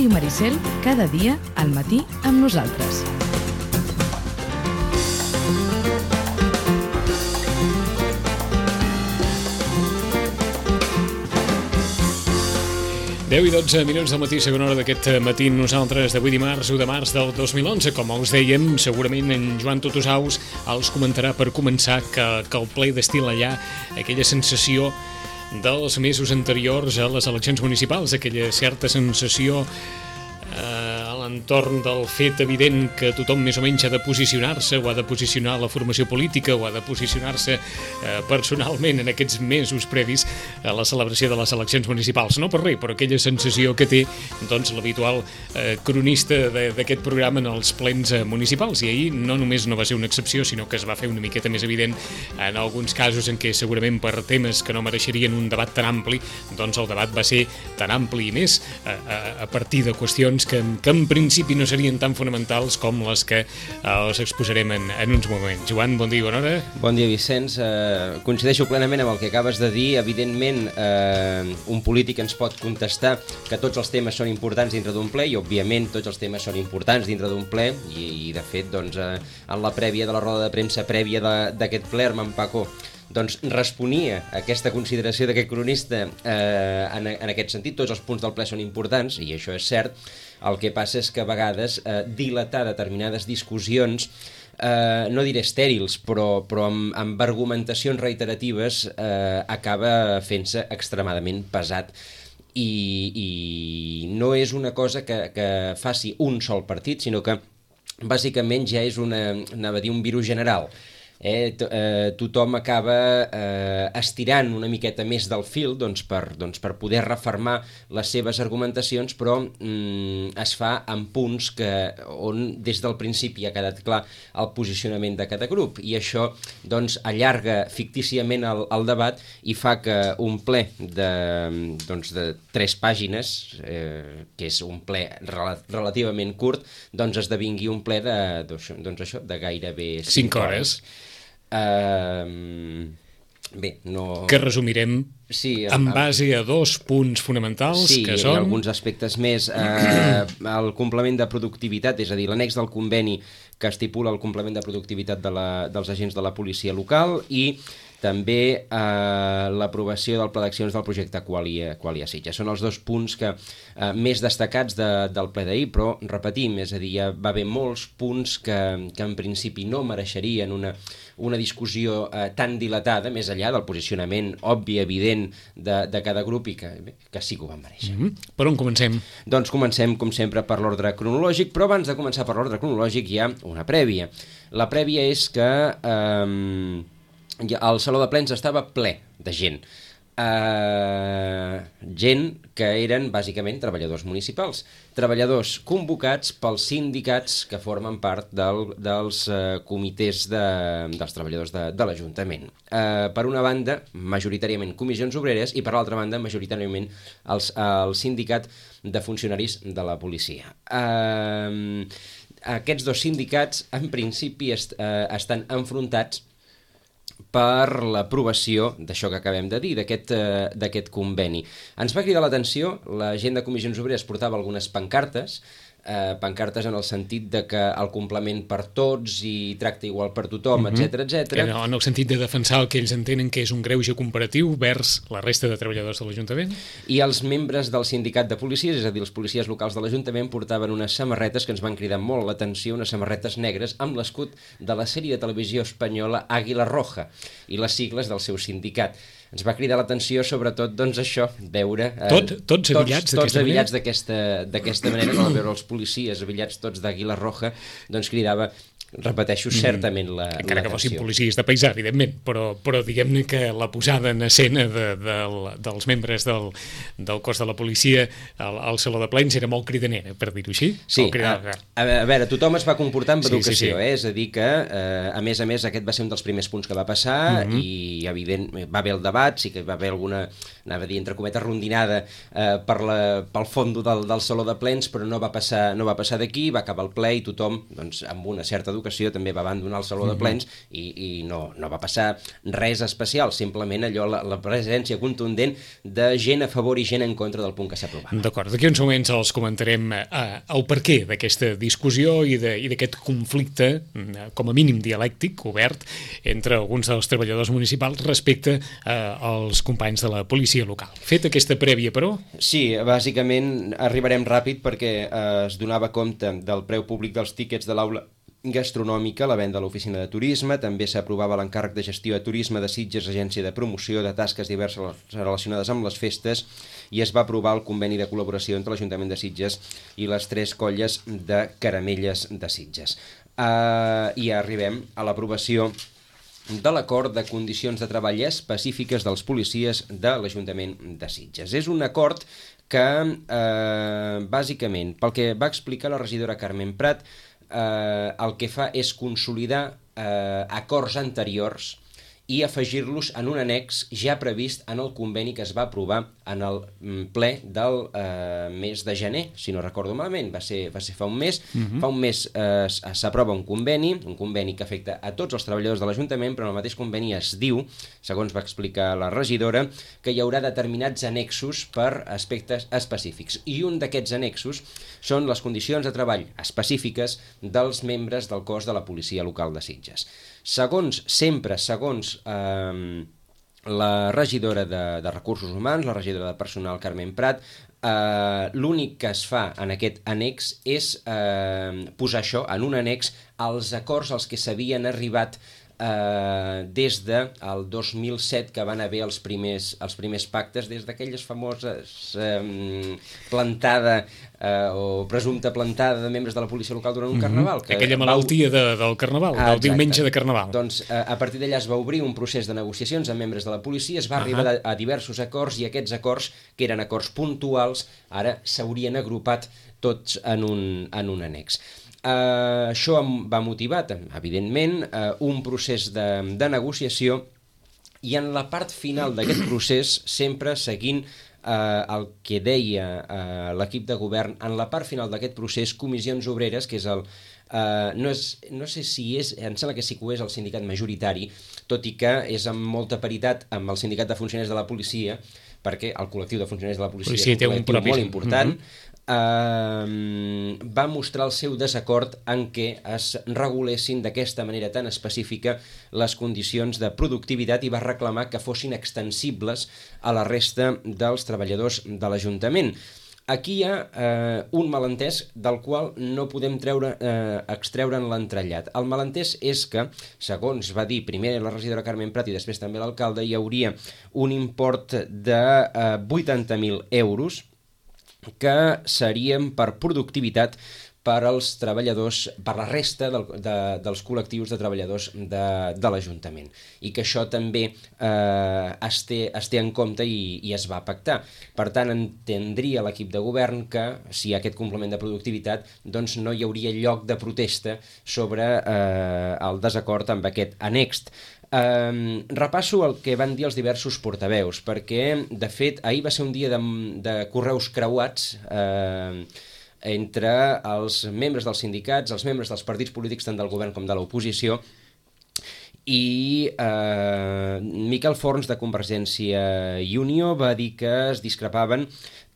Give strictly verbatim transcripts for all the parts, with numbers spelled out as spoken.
Ràdio Maricel, cada dia al matí amb nosaltres. deu i dotze minuts del matí, segona hora d'aquest matí, nosaltres d'avui dimarts, u de març del dos mil onze. Com us dèiem, segurament en Joan Totosaus els comentarà per començar que, que el ple destil allà aquella sensació dels mesos anteriors a les eleccions municipals, aquella certa sensació eh, a l'entorn del fet evident que tothom més o menys ha de posicionar-se o ha de posicionar la formació política o ha de posicionar-se eh, personalment en aquests mesos previs a la celebració de les eleccions municipals. No per res, però aquella sensació que té doncs, l'habitual eh, cronista d'aquest programa en els plens eh, municipals. I ahir no només no va ser una excepció, sinó que es va fer una miqueta més evident en alguns casos en què segurament per temes que no mereixerien un debat tan ampli, doncs el debat va ser tan ampli i més a, a, a partir de qüestions que, que en principi no serien tan fonamentals com les que eh, els exposarem en, en uns moments. Joan, bon dia i bona hora. Bon dia, Vicenç. Eh, coincideixo plenament amb el que acabes de dir. Evidentment, eh, un polític ens pot contestar que tots els temes són importants dintre d'un ple i, òbviament, tots els temes són importants dintre d'un ple i, i de fet, doncs, eh, en la prèvia de la roda de premsa prèvia d'aquest ple, Armand Paco doncs responia a aquesta consideració d'aquest cronista eh, en, en aquest sentit. Tots els punts del ple són importants, i això és cert. El que passa és que a vegades eh, dilatar determinades discussions, eh, no diré estèrils, però, però amb, amb argumentacions reiteratives eh, acaba fent-se extremadament pesat. I, i no és una cosa que, que faci un sol partit, sinó que bàsicament ja és una, anava a dir, un virus general. Eh, to, eh, tothom acaba eh, estirant una miqueta més del fil doncs per, doncs per poder refermar les seves argumentacions, però mm, es fa en punts que, on des del principi ha quedat clar el posicionament de cada grup, i això doncs, allarga fictíciament el, el debat i fa que un ple de, doncs, de tres pàgines, eh, que és un ple rel relativament curt, doncs esdevingui un ple de, doncs, doncs això, de gairebé cinc hores. Uh, bé, no... Que resumirem sí, en base a dos punts fonamentals, sí, que són... Sí, i alguns aspectes més. Uh, el complement de productivitat, és a dir, l'annex del conveni que estipula el complement de productivitat de la, dels agents de la policia local, i també eh, l'aprovació del pla d'accions del projecte Qualia, Qualia Sitges. Són els dos punts que, eh, més destacats de, del ple d'ahir, però repetim, és a dir, ja va haver molts punts que, que en principi no mereixerien una, una discussió eh, tan dilatada, més enllà del posicionament obvi, evident de, de cada grup, i que, que sí que ho van mereixer. Mm-hmm. Per on comencem? Doncs comencem, com sempre, per l'ordre cronològic, però abans de començar per l'ordre cronològic hi ha una prèvia. La prèvia és que... Eh, el saló de plens estava ple de gent. Uh, gent que eren bàsicament treballadors municipals, treballadors convocats pels sindicats que formen part del, dels uh, comitès de, dels treballadors de, de l'Ajuntament. Uh, per una banda, majoritàriament comissions obreres, i per l'altra banda, majoritàriament els, el sindicat de funcionaris de la policia. Uh, aquests dos sindicats, en principi, est, uh, estan enfrontats per l'aprovació d'això que acabem de dir, d'aquest eh, d'aquest conveni. Ens va cridar l'atenció, la gent de Comissions Obreres portava algunes pancartes, eh, pancartes en el sentit de que el complement per tots i tracte igual per tothom, mm-hmm. etcètera, etcètera. En, en el sentit de defensar el que ells entenen que és un greuge comparatiu vers la resta de treballadors de l'Ajuntament. I els membres del sindicat de policies, és a dir, els policies locals de l'Ajuntament, portaven unes samarretes que ens van cridar molt l'atenció, unes samarretes negres amb l'escut de la sèrie de televisió espanyola Àguila Roja i les sigles del seu sindicat. Ens va cridar l'atenció, sobretot, doncs això, veure... Eh, Tot, tots avillats tots, tots avillats d'aquesta manera, com veure els policies avillats tots d'Àguila Roja, doncs cridava, repeteixo, certament la Encara que l'atenció. fossin policies de paisà, evidentment, però, però diguem-ne que la posada en escena de, de, dels membres del, del cos de la policia al, al saló de plens era molt cridanera, per dir-ho així. Sí, a, a veure, tothom es va comportar amb educació, sí, sí, sí. Eh? És a dir que, eh, a més a més, aquest va ser un dels primers punts que va passar, mm-hmm. i, evident, va haver el debat, sí que va haver alguna, anava a dir, entre cometes, rondinada eh, per la, pel fondo del, del saló de plens, però no va passar, no va passar d'aquí, va acabar el ple i tothom, doncs, amb una certa educació, d'Educació també va abandonar el Saló de Plens i, i no, no va passar res especial, simplement allò, la, la presència contundent de gent a favor i gent en contra del punt que s'aprovava. D'acord, d'aquí uns moments els comentarem eh, el perquè d'aquesta discussió i d'aquest conflicte, eh, com a mínim dialèctic, obert, entre alguns dels treballadors municipals respecte eh, als companys de la policia local. Fet aquesta prèvia, però... Sí, bàsicament arribarem ràpid perquè eh, es donava compte del preu públic dels tíquets de l'aula gastronòmica, la venda a l'oficina de turisme, també s'aprovava l'encàrrec de gestió de turisme de Sitges, agència de promoció de tasques diverses relacionades amb les festes, i es va aprovar el conveni de col·laboració entre l'Ajuntament de Sitges i les tres colles de caramelles de Sitges. Uh, I arribem a l'aprovació de l'acord de condicions de treball específiques dels policies de l'Ajuntament de Sitges. És un acord que, eh, bàsicament, pel que va explicar la regidora Carmen Prat, eh, el que fa és consolidar eh, acords anteriors i afegir-los en un annex ja previst en el conveni que es va aprovar en el ple del eh, mes de gener, si no recordo malament, va ser, va ser fa un mes. Uh-huh. Fa un mes eh, s'aprova un conveni, un conveni que afecta a tots els treballadors de l'Ajuntament, però en el mateix conveni es diu, segons va explicar la regidora, que hi haurà determinats annexos per aspectes específics. I un d'aquests annexos són les condicions de treball específiques dels membres del cos de la policia local de Sitges. Segons, sempre segons eh, la regidora de, de Recursos Humans, la regidora de Personal Carmen Prat, eh, l'únic que es fa en aquest annex és eh, posar això en un annex als acords als que s'havien arribat Uh, des del de dos mil set, que van haver els primers, els primers pactes, des d'aquelles famoses um, plantada uh, o presumpta plantada de membres de la policia local durant un mm-hmm. carnaval. Que aquella malaltia va... de, del carnaval, ah, del exacte. Diumenge de carnaval. Doncs uh, a partir d'allà es va obrir un procés de negociacions amb membres de la policia, es va uh-huh. arribar a, a diversos acords, i aquests acords, que eren acords puntuals, ara s'haurien agrupat tots en un, en un annex. Uh, això va motivar, evidentment, uh, un procés de, de negociació, i en la part final d'aquest procés, sempre seguint uh, el que deia uh, l'equip de govern, en la part final d'aquest procés, Comissions Obreres, que és el... Uh, no, és, no sé si és, em sembla que sí que ho és el sindicat majoritari, tot i que és amb molta paritat amb el sindicat de funcionaris de la policia, perquè el col·lectiu de funcionaris de la policia, policia és un col·lectiu un molt important, mm-hmm. Uh, va mostrar el seu desacord en què es regulessin d'aquesta manera tan específica les condicions de productivitat, i va reclamar que fossin extensibles a la resta dels treballadors de l'Ajuntament. Aquí hi ha eh, un malentès del qual no podem treure, eh, extreure'n l'entrellat. El malentès és que, segons va dir primer la regidora Carmen Prat i després també l'alcalde, hi hauria un import de eh, vuitanta mil euros que serien per productivitat per als treballadors, per la resta del, de, dels col·lectius de treballadors de, de l'Ajuntament, i que això també eh, es, té, es té en compte i, i es va pactar. Per tant, entendria l'equip de govern que, si hi ha aquest complement de productivitat, doncs no hi hauria lloc de protesta sobre eh, el desacord amb aquest annex. Um, repasso el que van dir els diversos portaveus, perquè, de fet, ahir va ser un dia de, de correus creuats eh, entre els membres dels sindicats, els membres dels partits polítics, tant del govern com de l'oposició, i eh, Miquel Forns, de Convergència i Unió, va dir que es discrepaven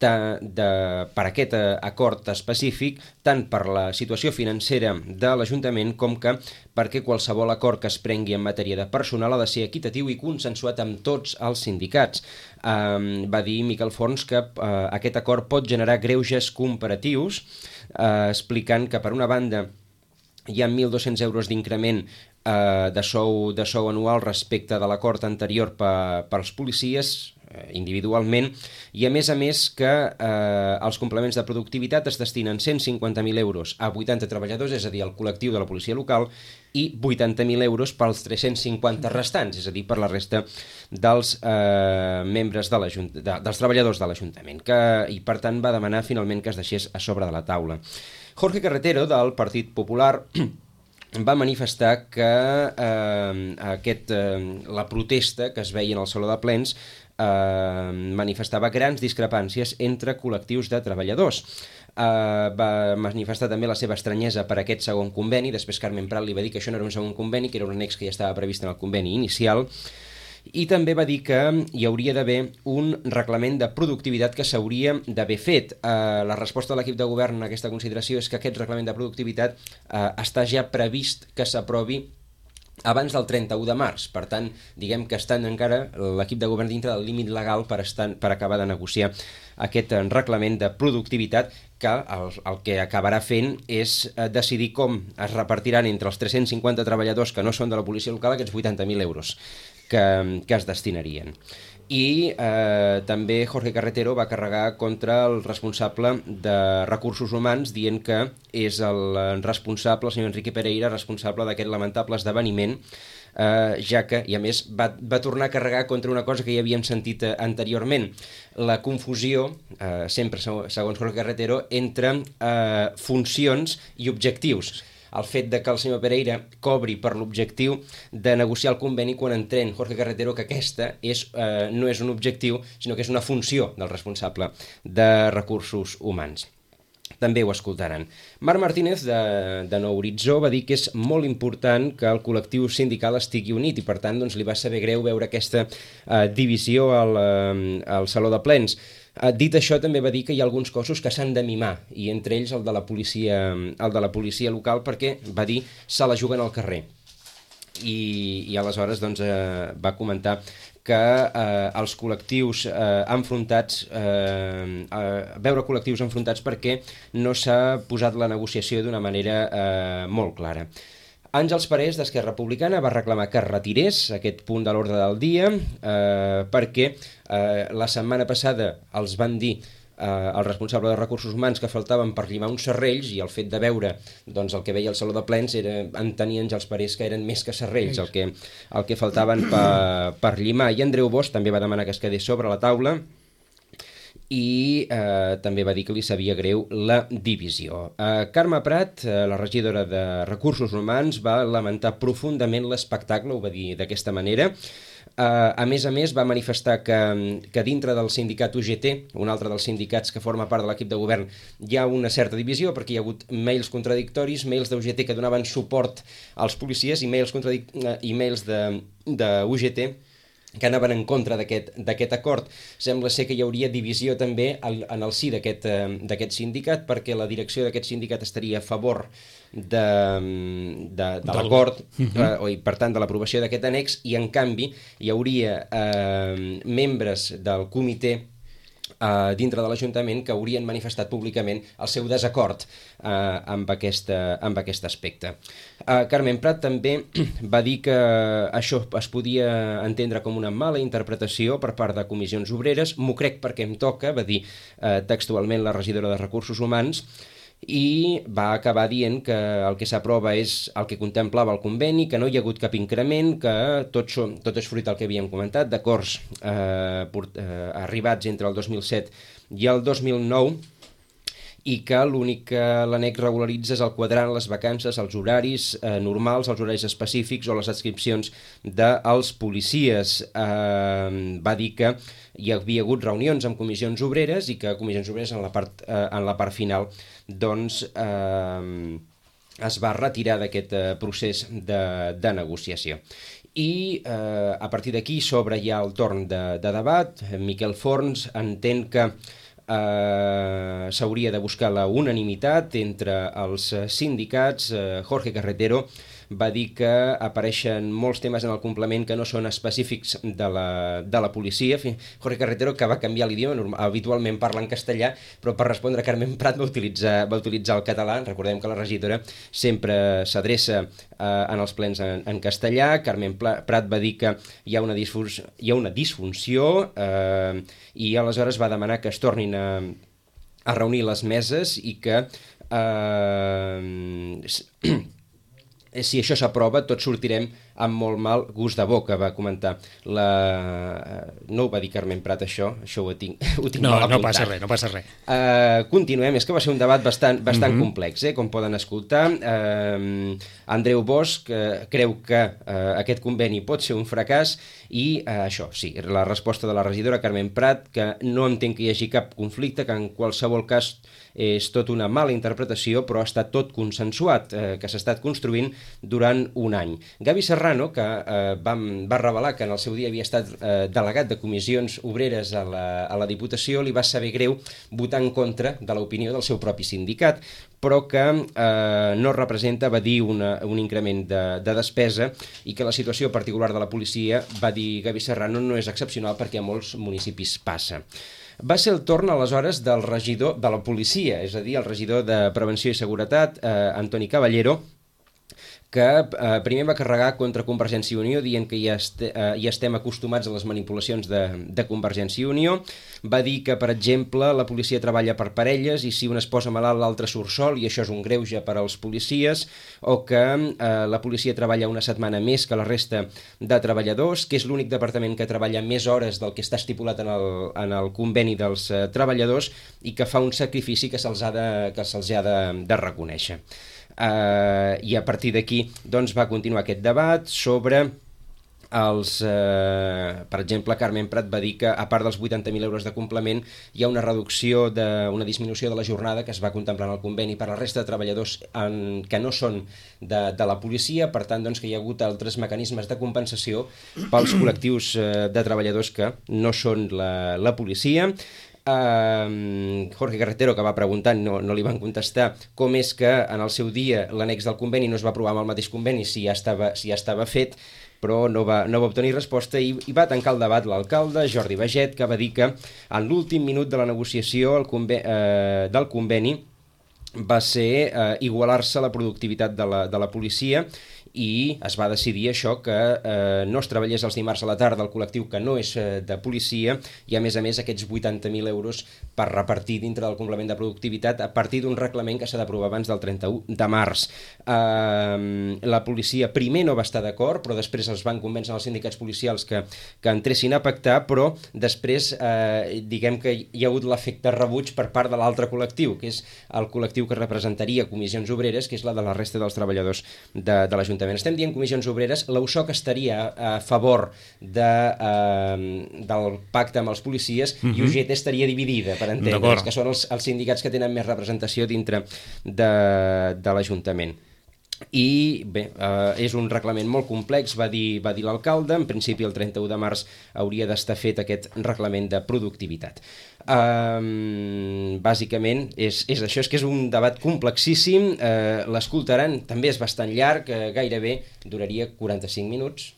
de, de, per aquest acord específic, tant per la situació financera de l'Ajuntament com que perquè qualsevol acord que es prengui en matèria de personal ha de ser equitatiu i consensuat amb tots els sindicats. Eh, va dir Miquel Forns que eh, aquest acord pot generar greuges comparatius, eh, explicant que, per una banda, hi ha mil dos-cents euros d'increment eh, de, sou, de sou anual respecte de l'acord anterior per, per als policies eh, individualment, i a més a més que eh, els complements de productivitat es destinen cent cinquanta mil euros a vuitanta treballadors, és a dir, al col·lectiu de la policia local, i vuitanta mil euros pels tres-cents cinquanta restants, és a dir, per la resta dels eh, membres de de, dels treballadors de l'Ajuntament, que, i per tant va demanar finalment que es deixés a sobre de la taula. Jorge Carretero, del Partit Popular, va manifestar que eh, aquest, eh, la protesta que es veia en el Saló de Plens eh, manifestava grans discrepàncies entre col·lectius de treballadors. Uh, va manifestar també la seva estranyesa per aquest segon conveni. Després Carmen Prat li va dir que això no era un segon conveni, que era un annex que ja estava previst en el conveni inicial, i també va dir que hi hauria d'haver un reglament de productivitat que s'hauria d'haver fet. Uh, la resposta de l'equip de govern a aquesta consideració és que aquest reglament de productivitat uh, està ja previst que s'aprovi abans del trenta-u de març. Per tant, diguem que estan encara l'equip de govern dintre del límit legal per, estar, per acabar de negociar aquest reglament de productivitat, que el, el que acabarà fent és decidir com es repartiran entre els tres-cents cinquanta treballadors que no són de la policia local aquests vuitanta mil euros que, que es destinarien. I eh, també Jorge Carretero va carregar contra el responsable de recursos humans, dient que és el responsable, el senyor Enrique Pereira, responsable d'aquest lamentable esdeveniment, eh, ja que, i a més, va, va tornar a carregar contra una cosa que ja havíem sentit eh, anteriorment, la confusió, eh, sempre segons Jorge Carretero, entre eh, funcions i objectius. El fet de que el senyor Pereira cobri per l'objectiu de negociar el conveni quan entén Jorge Carretero que aquesta és, eh, no és un objectiu, sinó que és una funció del responsable de recursos humans. També ho escoltaran. Marc Martínez, de, de Nou Horitzó, va dir que és molt important que el col·lectiu sindical estigui unit i, per tant, doncs, li va saber greu veure aquesta eh, divisió al, eh, al Saló de Plens. Uh, dit això, també va dir que hi ha alguns cossos que s'han de mimar, i entre ells el de la policia, el de la policia local, perquè, va dir, se la juguen al carrer. I, i aleshores doncs, uh, va comentar que uh, els col·lectius uh, enfrontats, uh, uh, veure col·lectius enfrontats perquè no s'ha posat la negociació d'una manera uh, molt clara. Àngels Parés, d'Esquerra Republicana, va reclamar que es retirés aquest punt de l'ordre del dia eh, perquè eh, la setmana passada els van dir eh, el responsable de recursos humans que faltaven per llimar uns serrells, i el fet de veure doncs, el que veia al Saló de Plens era entenir Àngels Parés que eren més que serrells el que, el que faltaven per, per llimar. I Andreu Bosch també va demanar que es quedés sobre la taula i eh, també va dir que li sabia greu la divisió. Eh, Carme Prat, eh, la regidora de Recursos Humans, va lamentar profundament l'espectacle, ho va dir d'aquesta manera. Eh, a més a més, va manifestar que, que dintre del sindicat U G T, un altre dels sindicats que forma part de l'equip de govern, hi ha una certa divisió, perquè hi ha hagut mails contradictoris, mails d'U G T que donaven suport als policies i mails, contradic... i mails de, de U G T que anaven en contra d'aquest acord. Sembla ser que hi hauria divisió també al, en el si d'aquest eh, sindicat, perquè la direcció d'aquest sindicat estaria a favor de, de, de l'acord, uh -huh. eh, i per tant de l'aprovació d'aquest annex, i en canvi hi hauria eh, membres del comitè Uh, dintre de l'Ajuntament que haurien manifestat públicament el seu desacord uh, amb, aquesta, amb aquest aspecte. Uh, Carmen Prat també va dir que això es podia entendre com una mala interpretació per part de comissions obreres. M'ho crec perquè em toca, va dir uh, textualment la regidora de Recursos Humans, i va acabar dient que el que s'aprova és el que contemplava el conveni, que no hi ha hagut cap increment, que tot, tot és fruit del que havíem comentat, d'acords eh, eh, arribats entre el dos mil set i el dos mil nou, i que l'únic que l'annex regularitza és el quadrant, les vacances, els horaris eh, normals, els horaris específics o les adscripcions dels policies. Eh, va dir que hi havia hagut reunions amb comissions obreres i que comissions obreres en la part, eh, en la part final doncs eh, es va retirar d'aquest eh, procés de, de negociació. I eh, a partir d'aquí s'obre ja el torn de, de debat. Miquel Forns entén que Uh, s'hauria de buscar la unanimitat entre els sindicats. uh, Jorge Carretero va dir que apareixen molts temes en el complement que no són específics de la, de la policia. Jorge Carretero, que va canviar l'idioma, habitualment parla en castellà, però per respondre a Carmen Prat va utilitzar, va utilitzar el català. Recordem que la regidora sempre s'adreça eh, en els plens en, en castellà. Carmen Prat va dir que hi ha una, disfunció, hi ha una disfunció eh, i aleshores va demanar que es tornin a, a reunir les meses i que... Eh, si això s'aprova, tots sortirem amb molt mal gust de boca, va comentar. La... No ho va dir Carmen Prat, això, això ho tinc, ho tinc no, mal apuntat. No passa res, no passa res. Uh, continuem, és que va ser un debat bastant, bastant uh-huh. complex, eh, com poden escoltar. Uh, Andreu Bosch uh, creu que uh, aquest conveni pot ser un fracàs i uh, això, sí, la resposta de la regidora Carmen Prat, que no entén que hi hagi cap conflicte, que en qualsevol cas és tot una mala interpretació, però ha estat tot consensuat, eh, que s'ha estat construint durant un any. Gavi Serrano, que eh, va, va revelar que en el seu dia havia estat eh, delegat de comissions obreres a la, a la Diputació, li va saber greu votar en contra de l'opinió del seu propi sindicat, però que eh, no representa, va dir, una, un increment de, de despesa i que la situació particular de la policia, va dir Gavi Serrano, no és excepcional perquè a molts municipis passa. Va ser el torn, aleshores, del regidor de la policia, és a dir, el regidor de Prevenció i Seguretat, eh, Antoni Caballero, que eh, primer va carregar contra Convergència i Unió dient que ja, este, eh, ja estem acostumats a les manipulacions de, de Convergència i Unió. Va dir que, per exemple, la policia treballa per parelles i si un es posa malalt l'altre surt sol i això és un greuge per als policies, o que eh, la policia treballa una setmana més que la resta de treballadors, que és l'únic departament que treballa més hores del que està estipulat en el, en el conveni dels eh, treballadors i que fa un sacrifici que se'ls ha de, que se'ls ha de, de reconèixer. Uh, i a partir d'aquí doncs, va continuar aquest debat sobre els, uh, per exemple, Carmen Prat va dir que a part dels vuitanta mil euros de complement hi ha una reducció, de, una disminució de la jornada que es va contemplar en el conveni per a la resta de treballadors en, que no són de, de la policia, per tant doncs, que hi ha hagut altres mecanismes de compensació pels col·lectius uh, de treballadors que no són la, la policia. Uh, Jorge Carretero, que va preguntar, no, no li van contestar com és que en el seu dia l'annex del conveni no es va aprovar amb el mateix conveni si ja estava, si ja estava fet, però no va, no va obtenir resposta i, i va tancar el debat l'alcalde Jordi Baget, que va dir que en l'últim minut de la negociació el conve, uh, del conveni va ser uh, igualar-se la productivitat de la, de la policia i es va decidir això, que eh, no es treballés els dimarts a la tarda el col·lectiu que no és eh, de policia i a més a més aquests vuitanta mil euros per repartir dintre del complement de productivitat a partir d'un reglament que s'ha d'aprovar abans del trenta-u de març. Eh, la policia primer no va estar d'acord, però després els van convèncer els sindicats policials que, que entressin a pactar, però després eh, diguem que hi ha hagut l'efecte rebuig per part de l'altre col·lectiu, que és el col·lectiu que representaria comissions obreres, que és la de la resta dels treballadors de, de l'Ajuntament. Estem dient comissions obreres, l'U S O C estaria a favor de, eh, del pacte amb els policies uh-huh. i U G T estaria dividida, per entendre's, que són els, els sindicats que tenen més representació dintre de, de l'Ajuntament. I bé, eh, és un reglament molt complex, va dir, va dir l'alcalde. En principi el trenta-u de març hauria d'estar fet aquest reglament de productivitat. Um, bàsicament és, és això, és que és un debat complexíssim, uh, l'escoltaran, també és bastant llarg, uh, gairebé duraria quaranta-cinc minuts.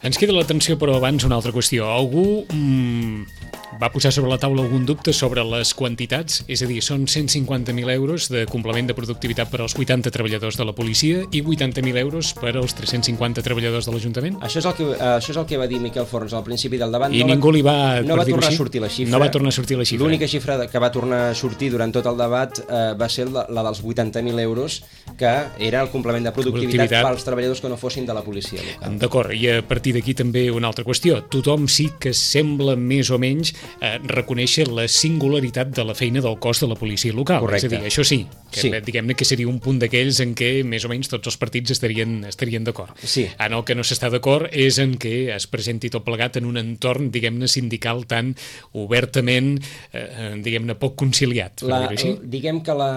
Ens queda l'atenció, però abans una altra qüestió. Algú mm, va posar sobre la taula algun dubte sobre les quantitats? És a dir, són cent cinquanta mil euros de complement de productivitat per als vuitanta treballadors de la policia i vuitanta mil euros per als tres-cents cinquanta treballadors de l'Ajuntament? Això és el que, uh, això és el que va dir Miquel Forns al principi del debat. I no ningú va, li va... No va tornar a sortir la xifra. No va tornar a sortir la xifra. L'única xifra que va tornar a sortir durant tot el debat uh, va ser la, la dels vuitanta mil euros, que era el complement de productivitat, productivitat pels treballadors que no fossin de la policia local. D'acord, i a partir d'aquí també una altra qüestió. Tothom sí que sembla més o menys eh, reconèixer la singularitat de la feina del cos de la policia local. Correcte. És a dir, això sí, que sí. diguem-ne que seria un punt d'aquells en què més o menys tots els partits estarien, estarien d'acord. Sí. En el que no s'està d'acord és en què es presenti tot plegat en un entorn, diguem-ne, sindical tan obertament, eh, diguem-ne, poc conciliat. La, diguem que la,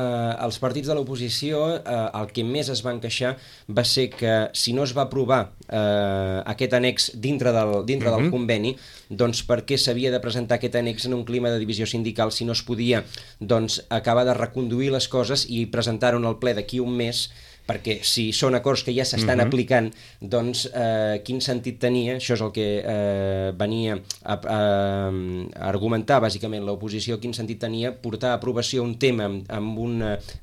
els partits de l'oposició eh, el que més es van queixar va ser que si no es va aprovar eh, aquest annex dintre del, dintre uh-huh. del conveni, doncs per què s'havia de presentar aquest annex en un clima de divisió sindical si no es podia doncs, acabar de reconduir les coses i presentar-ho al ple d'aquí un mes perquè si són acords que ja s'estan uh-huh. aplicant, doncs eh, quin sentit tenia, això és el que eh, venia a, a, a argumentar bàsicament l'oposició, quin sentit tenia portar a aprovació un tema amb, amb un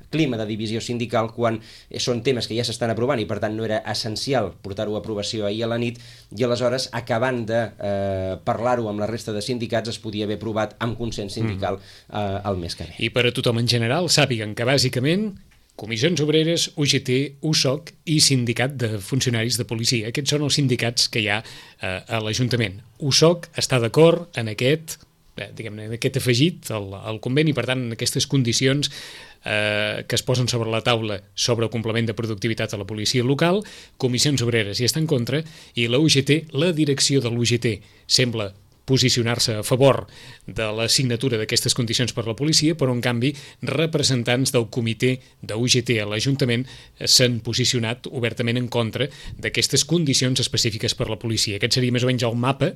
clima de divisió sindical quan són temes que ja s'estan aprovant i per tant no era essencial portar-ho a aprovació ahir a la nit, i aleshores acabant de eh, parlar-ho amb la resta de sindicats es podia haver aprovat amb consens sindical eh, el mes que ve. I per a tothom en general sàpiguen que bàsicament Comissions Obreres, U G T, U S O C i Sindicat de Funcionaris de Policia. Aquests són els sindicats que hi ha eh, a l'Ajuntament. U S O C està d'acord en aquest, eh, diguem-ne, en aquest afegit al, al conveni, per tant, en aquestes condicions eh, que es posen sobre la taula sobre el complement de productivitat a la policia local. Comissions Obreres hi està en contra i la U G T, la direcció de l'U G T, sembla posicionar-se a favor de la signatura d'aquestes condicions per la policia, però en canvi representants del comitè de U G T a l'Ajuntament s'han posicionat obertament en contra d'aquestes condicions específiques per la policia. Aquest seria més o menys el mapa,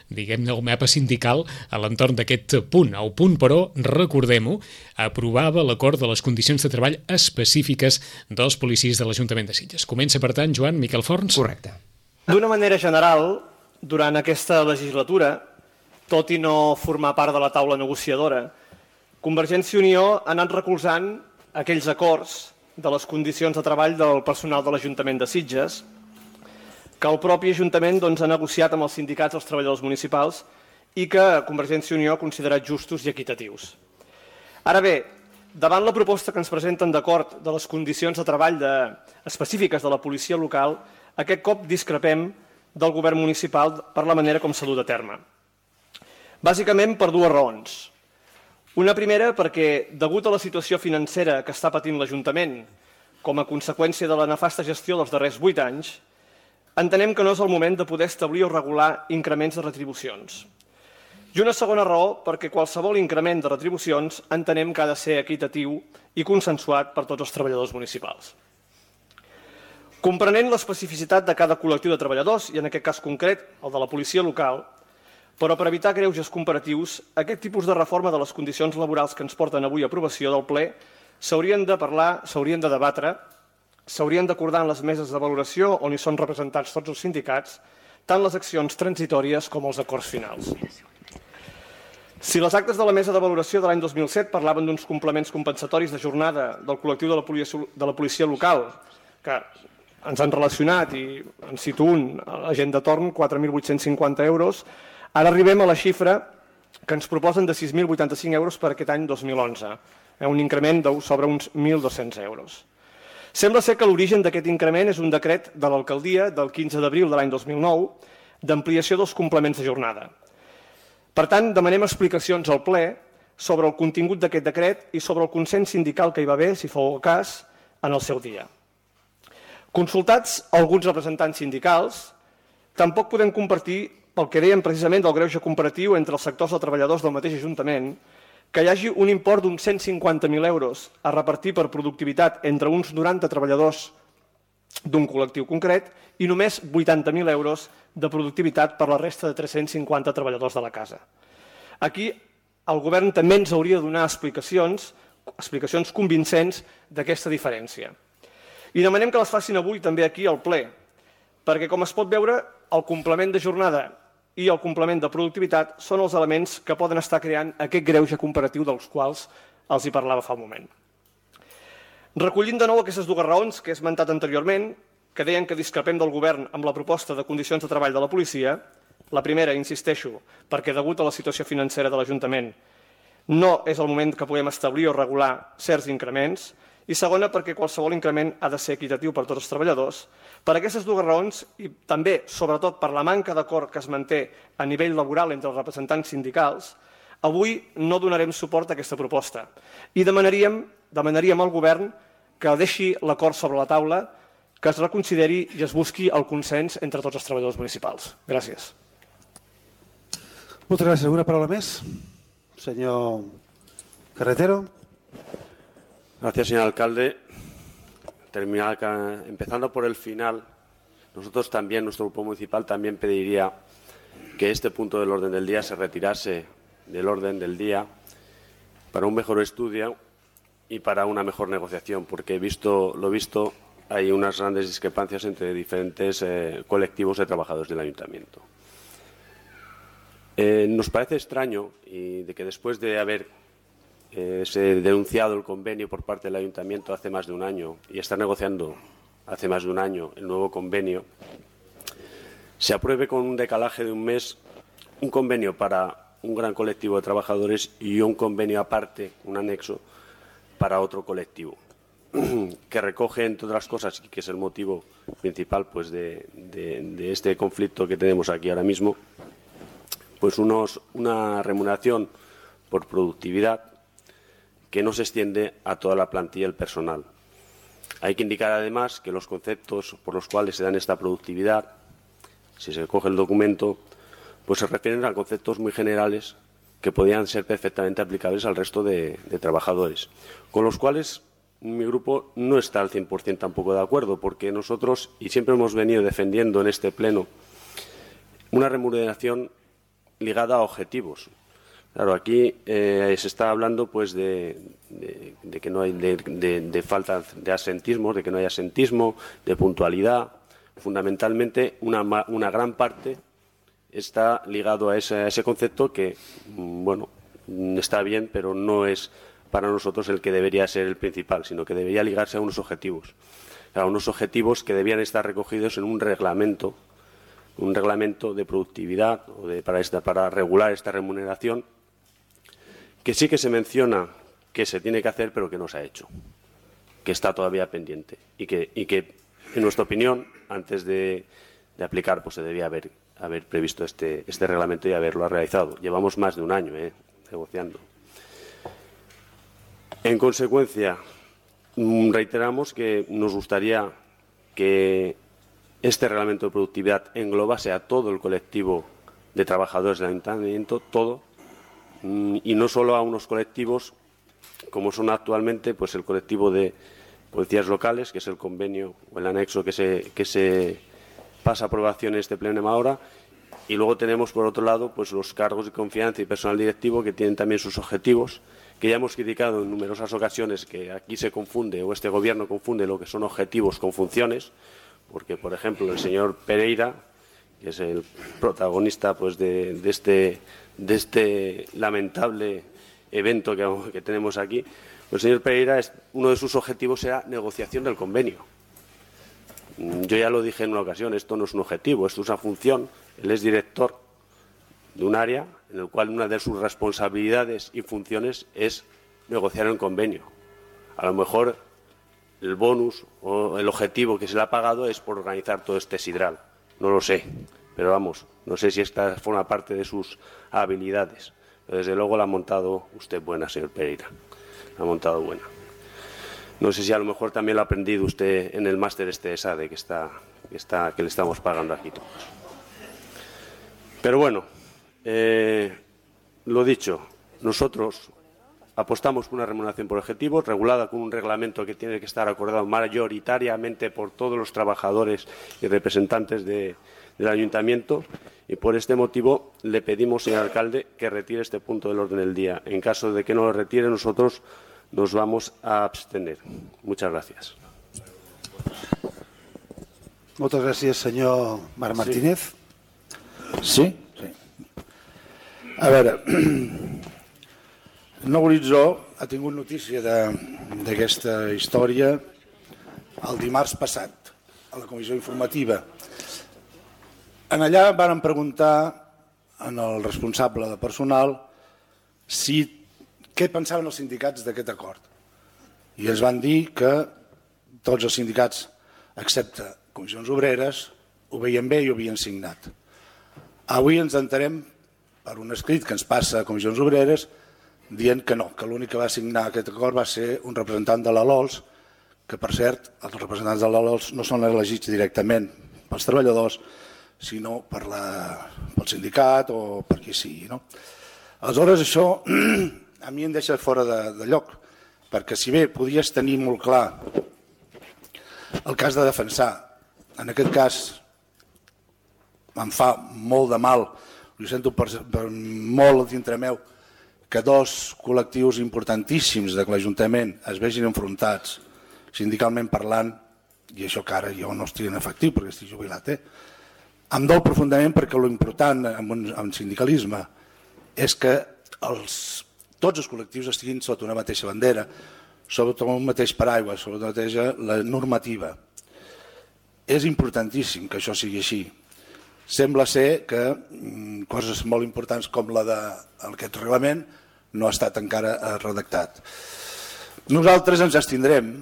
diguem-ne el mapa sindical a l'entorn d'aquest punt. El punt, però, recordem-ho, aprovava l'acord de les condicions de treball específiques dels policies de l'Ajuntament de Sitges. Comença, per tant, Joan Miquel Forns. Correcte. D'una manera general, durant aquesta legislatura, tot i no formar part de la taula negociadora, Convergència i Unió ha anat recolzant aquells acords de les condicions de treball del personal de l'Ajuntament de Sitges que el propi Ajuntament doncs, ha negociat amb els sindicats dels treballadors municipals i que Convergència i Unió ha considerat justos i equitatius. Ara bé, davant la proposta que ens presenten d'acord de les condicions de treball de... específiques de la policia local, aquest cop discrepem del govern municipal per la manera com s'ha dut a terme. Bàsicament per dues raons. Una primera perquè, degut a la situació financera que està patint l'Ajuntament com a conseqüència de la nefasta gestió dels darrers vuit anys, entenem que no és el moment de poder establir o regular increments de retribucions. I una segona raó perquè qualsevol increment de retribucions entenem que ha de ser equitatiu i consensuat per tots els treballadors municipals. Comprenent l'especificitat de cada col·lectiu de treballadors, i en aquest cas concret el de la policia local, però per evitar greuges comparatius, aquest tipus de reforma de les condicions laborals que ens porten avui a aprovació del ple s'haurien de parlar, s'haurien de debatre, s'haurien d'acordar en les meses de valoració on hi són representats tots els sindicats, tant les accions transitòries com els acords finals. Si les actes de la mesa de valoració de l'any dos mil set parlaven d'uns complements compensatoris de jornada del col·lectiu de la policia, de la policia local, que ens han relacionat i en cito un, a la gent de torn, quatre mil vuit-cents cinquanta euros, ara arribem a la xifra que ens proposen de sis mil vuitanta-cinc euros per aquest any dos mil onze, un increment de sobre uns mil dos-cents euros. Sembla ser que l'origen d'aquest increment és un decret de l'alcaldia del quinze d'abril de l'any dos mil nou d'ampliació dels complements de jornada. Per tant, demanem explicacions al ple sobre el contingut d'aquest decret i sobre el consens sindical que hi va haver, si fou el cas, en el seu dia. Consultats alguns representants sindicals, tampoc podem compartir pel que dèiem precisament del greuge comparatiu entre els sectors de treballadors del mateix Ajuntament, que hi hagi un import d'uns cent cinquanta mil euros a repartir per productivitat entre uns noranta treballadors d'un col·lectiu concret i només vuitanta mil euros de productivitat per la resta de tres-cents cinquanta treballadors de la casa. Aquí el govern també ens hauria de donar explicacions, explicacions convincents d'aquesta diferència. I demanem que les facin avui també aquí al ple, perquè com es pot veure, el complement de jornada i el complement de productivitat són els elements que poden estar creant aquest greuge comparatiu dels quals els hi parlava fa un moment. Recollint de nou aquestes dues raons que he esmentat anteriorment, que deien que discrepem del govern amb la proposta de condicions de treball de la policia, la primera, insisteixo, perquè degut a la situació financera de l'Ajuntament no és el moment que puguem establir o regular certs increments, i segona, perquè qualsevol increment ha de ser equitatiu per tots els treballadors. Per aquestes dues raons, i també, sobretot, per la manca d'acord que es manté a nivell laboral entre els representants sindicals, avui no donarem suport a aquesta proposta i demanaríem, demanaríem al govern que deixi l'acord sobre la taula, que es reconsideri i es busqui el consens entre tots els treballadors municipals. Gràcies. Moltes gràcies. ¿Alguna palabra más? Señor Carretero. Gracias, señor alcalde. Terminar, empezando por el final, nosotros también, nuestro grupo municipal, también pediría que este punto del orden del día se retirase del orden del día para un mejor estudio y para una mejor negociación, porque he visto, lo visto, hay unas grandes discrepancias entre diferentes eh, colectivos de trabajadores del ayuntamiento. Eh, nos parece extraño y de que después de haber eh, se denunciado el convenio por parte del ayuntamiento hace más de un año y estar negociando hace más de un año el nuevo convenio, se apruebe con un decalaje de un mes un convenio para un gran colectivo de trabajadores y un convenio aparte, un anexo, para otro colectivo, que recoge, entre otras cosas, y que es el motivo principal pues, de, de, de este conflicto que tenemos aquí ahora mismo, pues unos, una remuneración por productividad que no se extiende a toda la plantilla del personal. Hay que indicar, además, que los conceptos por los cuales se dan esta productividad, si se coge el documento, pues se refieren a conceptos muy generales que podían ser perfectamente aplicables al resto de, de trabajadores, con los cuales mi grupo no está al cien por cien tampoco de acuerdo, porque nosotros, y siempre hemos venido defendiendo en este pleno, una remuneración ligada a objetivos. Claro, aquí eh, se está hablando pues de, de, de que no hay de, de, de falta de asentismo, de que no hay asentismo, de puntualidad. Fundamentalmente, una, una gran parte está ligado a ese, a ese concepto que, bueno, está bien, pero no es para nosotros el que debería ser el principal, sino que debería ligarse a unos objetivos, a unos objetivos que debían estar recogidos en un reglamento, un reglamento de productividad o de, para, esta, para regular esta remuneración, que sí que se menciona que se tiene que hacer, pero que no se ha hecho, que está todavía pendiente y que, y que en nuestra opinión, antes de, de aplicar, pues se debía haber, haber previsto este, este reglamento y haberlo realizado. Llevamos más de un año eh, negociando. En consecuencia, reiteramos que nos gustaría que este reglamento de productividad englobase a todo el colectivo de trabajadores del ayuntamiento, todo, y no solo a unos colectivos como son actualmente pues el colectivo de policías locales, que es el convenio o el anexo que se, que se pasa a aprobación en este pleno ahora, y luego tenemos por otro lado pues los cargos de confianza y personal directivo que tienen también sus objetivos, que ya hemos criticado en numerosas ocasiones que aquí se confunde o este gobierno confunde lo que son objetivos con funciones, porque por ejemplo el señor Pereira, que es el protagonista pues de, de, este, de este lamentable evento que, que tenemos aquí, el señor Pereira, es, uno de sus objetivos era negociación del convenio. Yo ya lo dije en una ocasión, esto no es un objetivo, esto es una función. Él es director de un área en el cual una de sus responsabilidades y funciones es negociar el convenio. A lo mejor el bonus o el objetivo que se le ha pagado es por organizar todo este sidral. No lo sé, pero vamos, no sé si esta forma parte de sus habilidades. Pero desde luego la ha montado usted buena, señor Pereira. La ha montado buena. No sé si a lo mejor también lo ha aprendido usted en el máster este de SADE que, está, que, está, que le estamos pagando aquí todos. Pero bueno, eh, lo dicho, nosotros apostamos por una remuneración por objetivos, regulada con un reglamento que tiene que estar acordado mayoritariamente por todos los trabajadores y representantes de, del ayuntamiento, y por este motivo le pedimos, señor alcalde, que retire este punto del orden del día. En caso de que no lo retire, nosotros nos vamos a abstener. Muchas gracias. Moltes gràcies, senyor Marc Martínez. Sí? Sí. A veure, Nou Horitzó ha tingut notícia d'aquesta història el dimarts passat, a la comissió informativa. En allà varen preguntar al responsable de personal si què pensaven els sindicats d'aquest acord. I ens van dir que tots els sindicats, excepte Comissions Obreres, ho veien bé i ho havien signat. Avui ens enterem per un escrit que ens passa a Comissions Obreres dient que no, que l'únic que va signar aquest acord va ser un representant de la L O L S, que per cert, els representants de la L O L S no són elegits directament pels treballadors, sinó per la, pel sindicat o per qui sigui. No? Aleshores, això a mi em deixa fora de, de lloc, perquè si bé podies tenir molt clar el cas de defensar, en aquest cas em fa molt de mal, ho sento per, per molt dintre meu, que dos col·lectius importantíssims de l'Ajuntament es vegin enfrontats, sindicalment parlant, i això que ara jo no estic en efectiu perquè estic jubilat, eh? Em dol profundament perquè l'important en un en sindicalisme és que els, tots els col·lectius estiguin sota una mateixa bandera, sota un mateix paraigua, sota una mateixa la normativa. És importantíssim que això sigui així. Sembla ser que mm, coses molt importants com la d'aquest reglament no ha estat encara redactat. Nosaltres ens abstindrem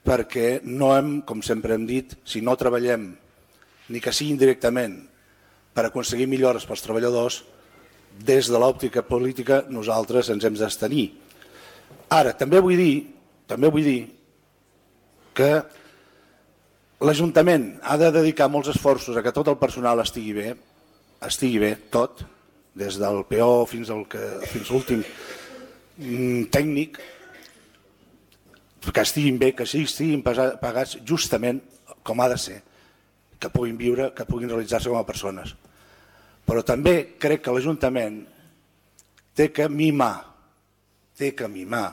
perquè no hem, com sempre hem dit, si no treballem ni que sigui indirectament per aconseguir millores pels treballadors, des de l'òptica política nosaltres ens hem d'abstenir. Ara, també vull dir, també vull dir que l'Ajuntament ha de dedicar molts esforços a que tot el personal estigui bé, estigui bé, tot, des del P O fins al que, fins a l'últim tècnic, que estiguin bé, que estiguin pagats justament com ha de ser, que puguin viure, que puguin realitzar-se com a persones. Però també crec que l'Ajuntament té que mimar, té que mimar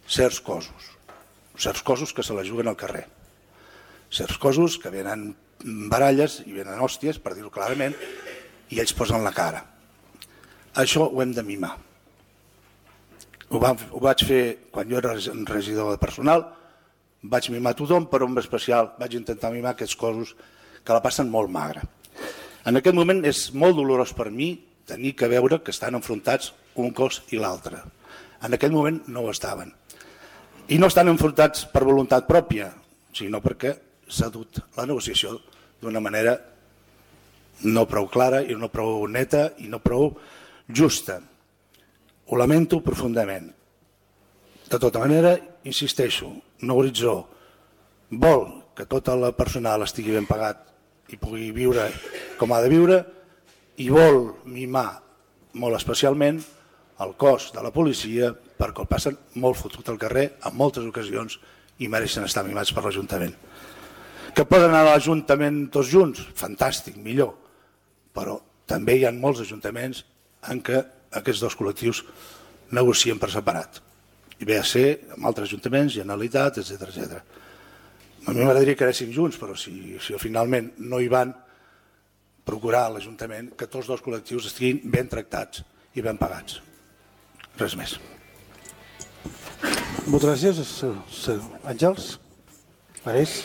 certs cossos, certs cossos que se la juguen al carrer, certs cossos que venen baralles i venen hòsties, per dir-ho clarament, i ells posen la cara. Això ho hem de mimar. Ho, vam, ho vaig fer quan jo era regidor de personal, vaig mimar tothom, però en especial vaig intentar mimar aquests cossos que la passen molt magra. En aquest moment és molt dolorós per mi tenir que veure que estan enfrontats un cos i l'altre. En aquell moment no ho estaven. I no estan enfrontats per voluntat pròpia, sinó perquè s'ha dut la negociació d'una manera no prou clara i no prou neta i no prou justa. Ho lamento profundament. De tota manera, insisteixo, Nou Horitzó vol que tot el personal estigui ben pagat i pugui viure com ha de viure i vol mimar molt especialment el cos de la policia perquè el passen molt fotut al carrer en moltes ocasions i mereixen estar mimats per l'Ajuntament. Que poden anar a l'Ajuntament tots junts? Fantàstic, millor. Però també hi ha molts ajuntaments en què aquests dos col·lectius negocien per separat. I ve a ser amb altres ajuntaments, Generalitat, etcètera, etcètera. A mi m'agradaria que anéssim junts, però si, si finalment no hi van, procurar a l'Ajuntament que tots dos col·lectius estiguin ben tractats i ben pagats. Res més. Moltes gràcies. Àngels? Marés?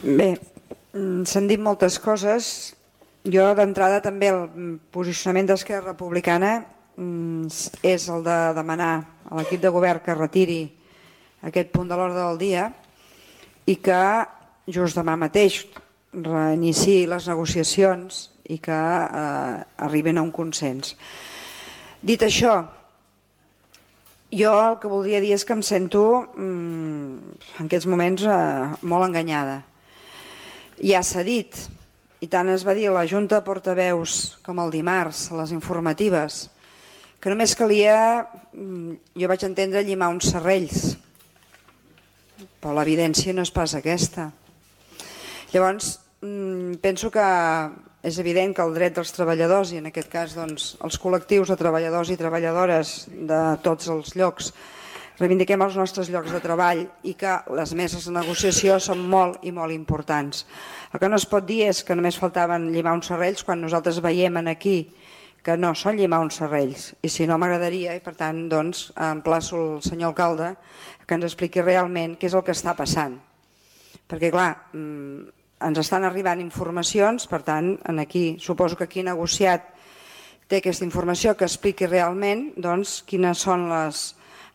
Bé, s'han dit moltes coses. Jo, d'entrada, també el posicionament d'Esquerra Republicana és el de demanar a l'equip de govern que retiri aquest punt de l'ordre del dia i que just demà mateix reiniciï les negociacions i que eh, arriben a un consens. Dit això, jo el que voldria dir és que em sento mm, en aquests moments eh, molt enganyada. Ja s'ha dit, i tant es va dir a la Junta de Portaveus com el dimarts, a les informatives, que només calia, jo vaig entendre, llimar uns serrells, però l'evidència no és pas aquesta. Llavors, penso que és evident que el dret dels treballadors, i en aquest cas doncs, els col·lectius de treballadors i treballadores de tots els llocs, reivindiquem els nostres llocs de treball i que les meses de negociació són molt i molt importants. El que no es pot dir és que només faltaven llimar uns serrells quan nosaltres veiem aquí que no són llimar uns serrells, i si no m'agradaria, i per tant doncs, emplaço el senyor alcalde que ens expliqui realment què és el que està passant. Perquè clar, ens estan arribant informacions, per tant, aquí suposo que qui ha negociat té aquesta informació que expliqui realment doncs, quines són les,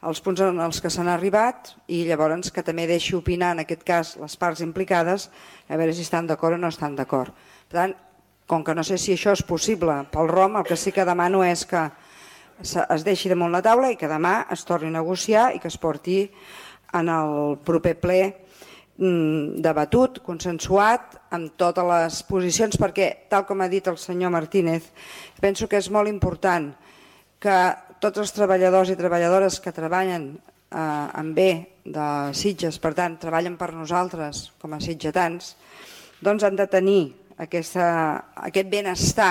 els punts en els que s'han arribat i llavors que també deixi opinar, en aquest cas, les parts implicades, a veure si estan d'acord o no estan d'acord. Per tant, com que no sé si això és possible pel R O M, el que sí que demano és que es deixi damunt la taula i que demà es torni a negociar i que es porti en el proper ple debatut, consensuat, amb totes les posicions, perquè, tal com ha dit el senyor Martínez, penso que és molt important que tots els treballadors i treballadores que treballen en bé de Sitges, per tant, treballen per nosaltres com a sitgetans, doncs han de tenir Aquesta, aquest benestar,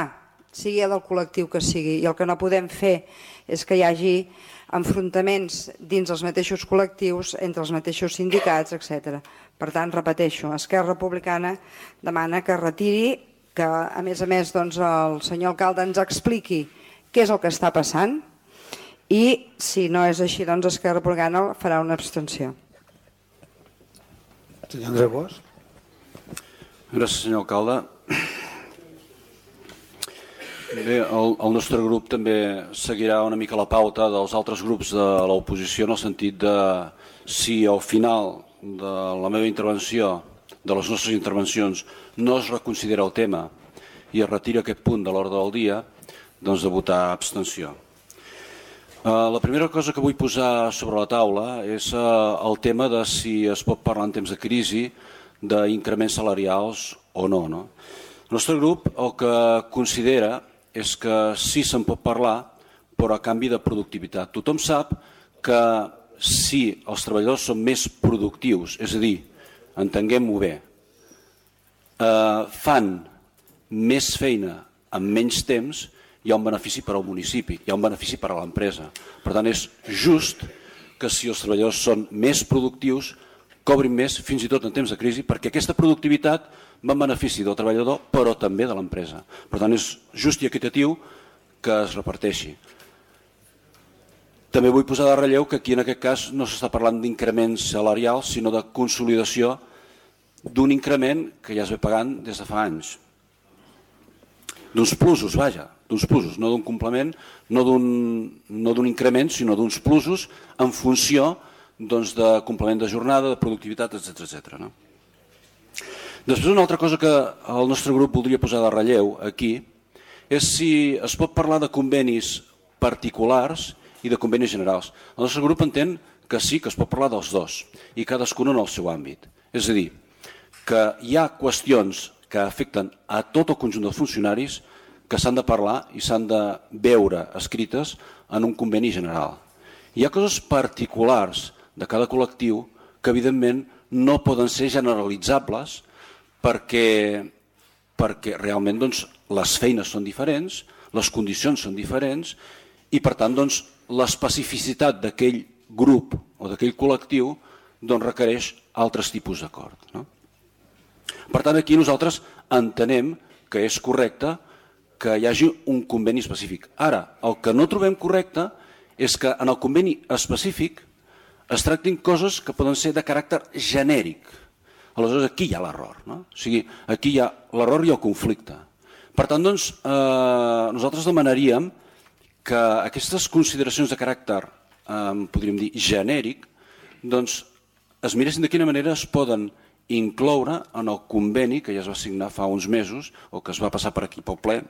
sigui del col·lectiu que sigui, i el que no podem fer és que hi hagi enfrontaments dins els mateixos col·lectius, entre els mateixos sindicats, etcètera. Per tant, repeteixo, Esquerra Republicana demana que retiri, que a més a més doncs, el senyor alcalde ens expliqui què és el que està passant i si no és així, doncs Esquerra Republicana farà una abstenció. Senyor Andreu Bosch. Gràcies, senyor alcalde. Bé, el, el nostre grup també seguirà una mica la pauta dels altres grups de l'oposició en el sentit de si al final de la meva intervenció, de les nostres intervencions, no es reconsidera el tema i es retira aquest punt de l'ordre del dia, doncs de votar abstenció. La primera cosa que vull posar sobre la taula és el tema de si es pot parlar en temps de crisi d'increments salarials o no. no? El nostre grup el que considera és que sí se'n pot parlar, però a canvi de productivitat. Tothom sap que si els treballadors són més productius, és a dir, entenguem-ho bé, eh, fan més feina en menys temps, hi ha un benefici per al municipi, hi ha un benefici per a l'empresa. Per tant, és just que si els treballadors són més productius, cobrin més fins i tot en temps de crisi, perquè aquesta productivitat va en benefici del treballador, però també de l'empresa. Per tant, és just i equitatiu que es reparteixi. També vull posar de relleu que aquí en aquest cas no s'està parlant d'increments salarials, sinó de consolidació d'un increment que ja es ve pagant des de fa anys. D'uns plusos, vaja, d'uns plusos, no d'un complement, no d'un no d'un increment, sinó d'uns plusos en funció doncs, de complement de jornada, de productivitat, etcètera etcètera. No? Després, una altra cosa que el nostre grup voldria posar de relleu aquí és si es pot parlar de convenis particulars i de convenis generals. El nostre grup entén que sí, que es pot parlar dels dos, i cadascun en el seu àmbit. És a dir, que hi ha qüestions que afecten a tot el conjunt dels funcionaris que s'han de parlar i s'han de veure escrites en un conveni general. Hi ha coses particulars de cada col·lectiu que evidentment no poden ser generalitzables perquè, perquè realment doncs, les feines són diferents, les condicions són diferents i per tant doncs, l'especificitat d'aquell grup o d'aquell col·lectiu doncs, requereix altres tipus d'acord. No? Per tant, aquí nosaltres entenem que és correcte que hi hagi un conveni específic. Ara, el que no trobem correcte és que en el conveni específic es tractin coses que poden ser de caràcter genèric. Aleshores, aquí hi ha l'error. No? O sigui, aquí hi ha l'error i el conflicte. Per tant, doncs, eh, nosaltres demanaríem que aquestes consideracions de caràcter, eh, podríem dir, genèric, doncs, es miressin de quina manera es poden incloure en el conveni que ja es va signar fa uns mesos o que es va passar per aquí pel ple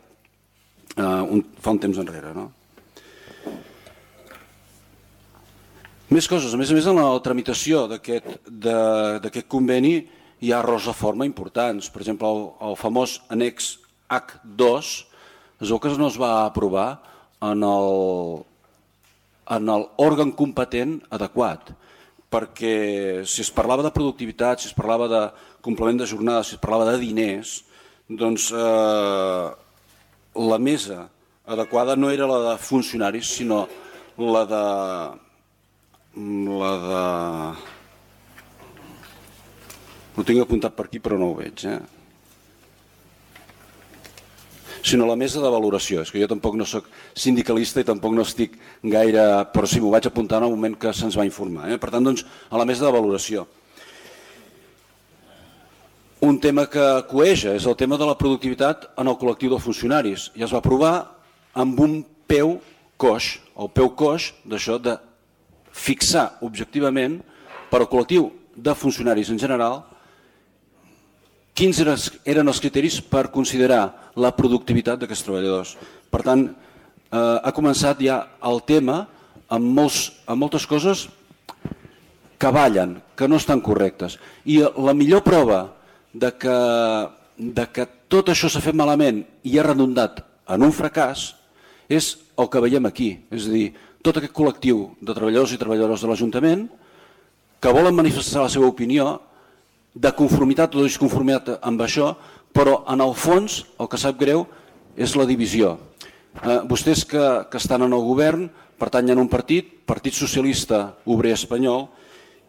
eh, un, fa un temps enrere. No? Més coses. A més a més, en la tramitació d'aquest conveni hi ha errors de forma importants. Per exemple, el, el famós annex hac dos es veu que no es va aprovar en el, en l'òrgan competent adequat, perquè si es parlava de productivitat, si es parlava de complement de jornada, si es parlava de diners, doncs eh, la mesa adequada no era la de funcionaris, sinó la de... la de... Ho tinc apuntat per aquí però no ho veig, eh? sinó la mesa de valoració. És que jo tampoc no soc sindicalista i tampoc no estic gaire... però sí, m'ho vaig apuntar en el moment que se'ns va informar. Eh? Per tant, doncs, a la mesa de valoració. Un tema que coeja és el tema de la productivitat en el col·lectiu dels funcionaris. I es va aprovar amb un peu coix, el peu coix d'això de fixar objectivament per al col·lectiu de funcionaris en general quins eren els criteris per considerar la productivitat d'aquests treballadors. Per tant, eh, ha començat ja el tema amb, molts, amb moltes coses que ballen, que no estan correctes. I la millor prova de que, de que tot això s'ha fet malament i ha redundat en un fracàs és el que veiem aquí. És a dir, tot aquest col·lectiu de treballadors i treballadores de l'Ajuntament que volen manifestar la seva opinió de conformitat o disconformitat amb això, però en el fons el que sap greu és la divisió. Eh, vostès que, que estan en el govern pertanyen a un partit, Partit Socialista Obrer Espanyol,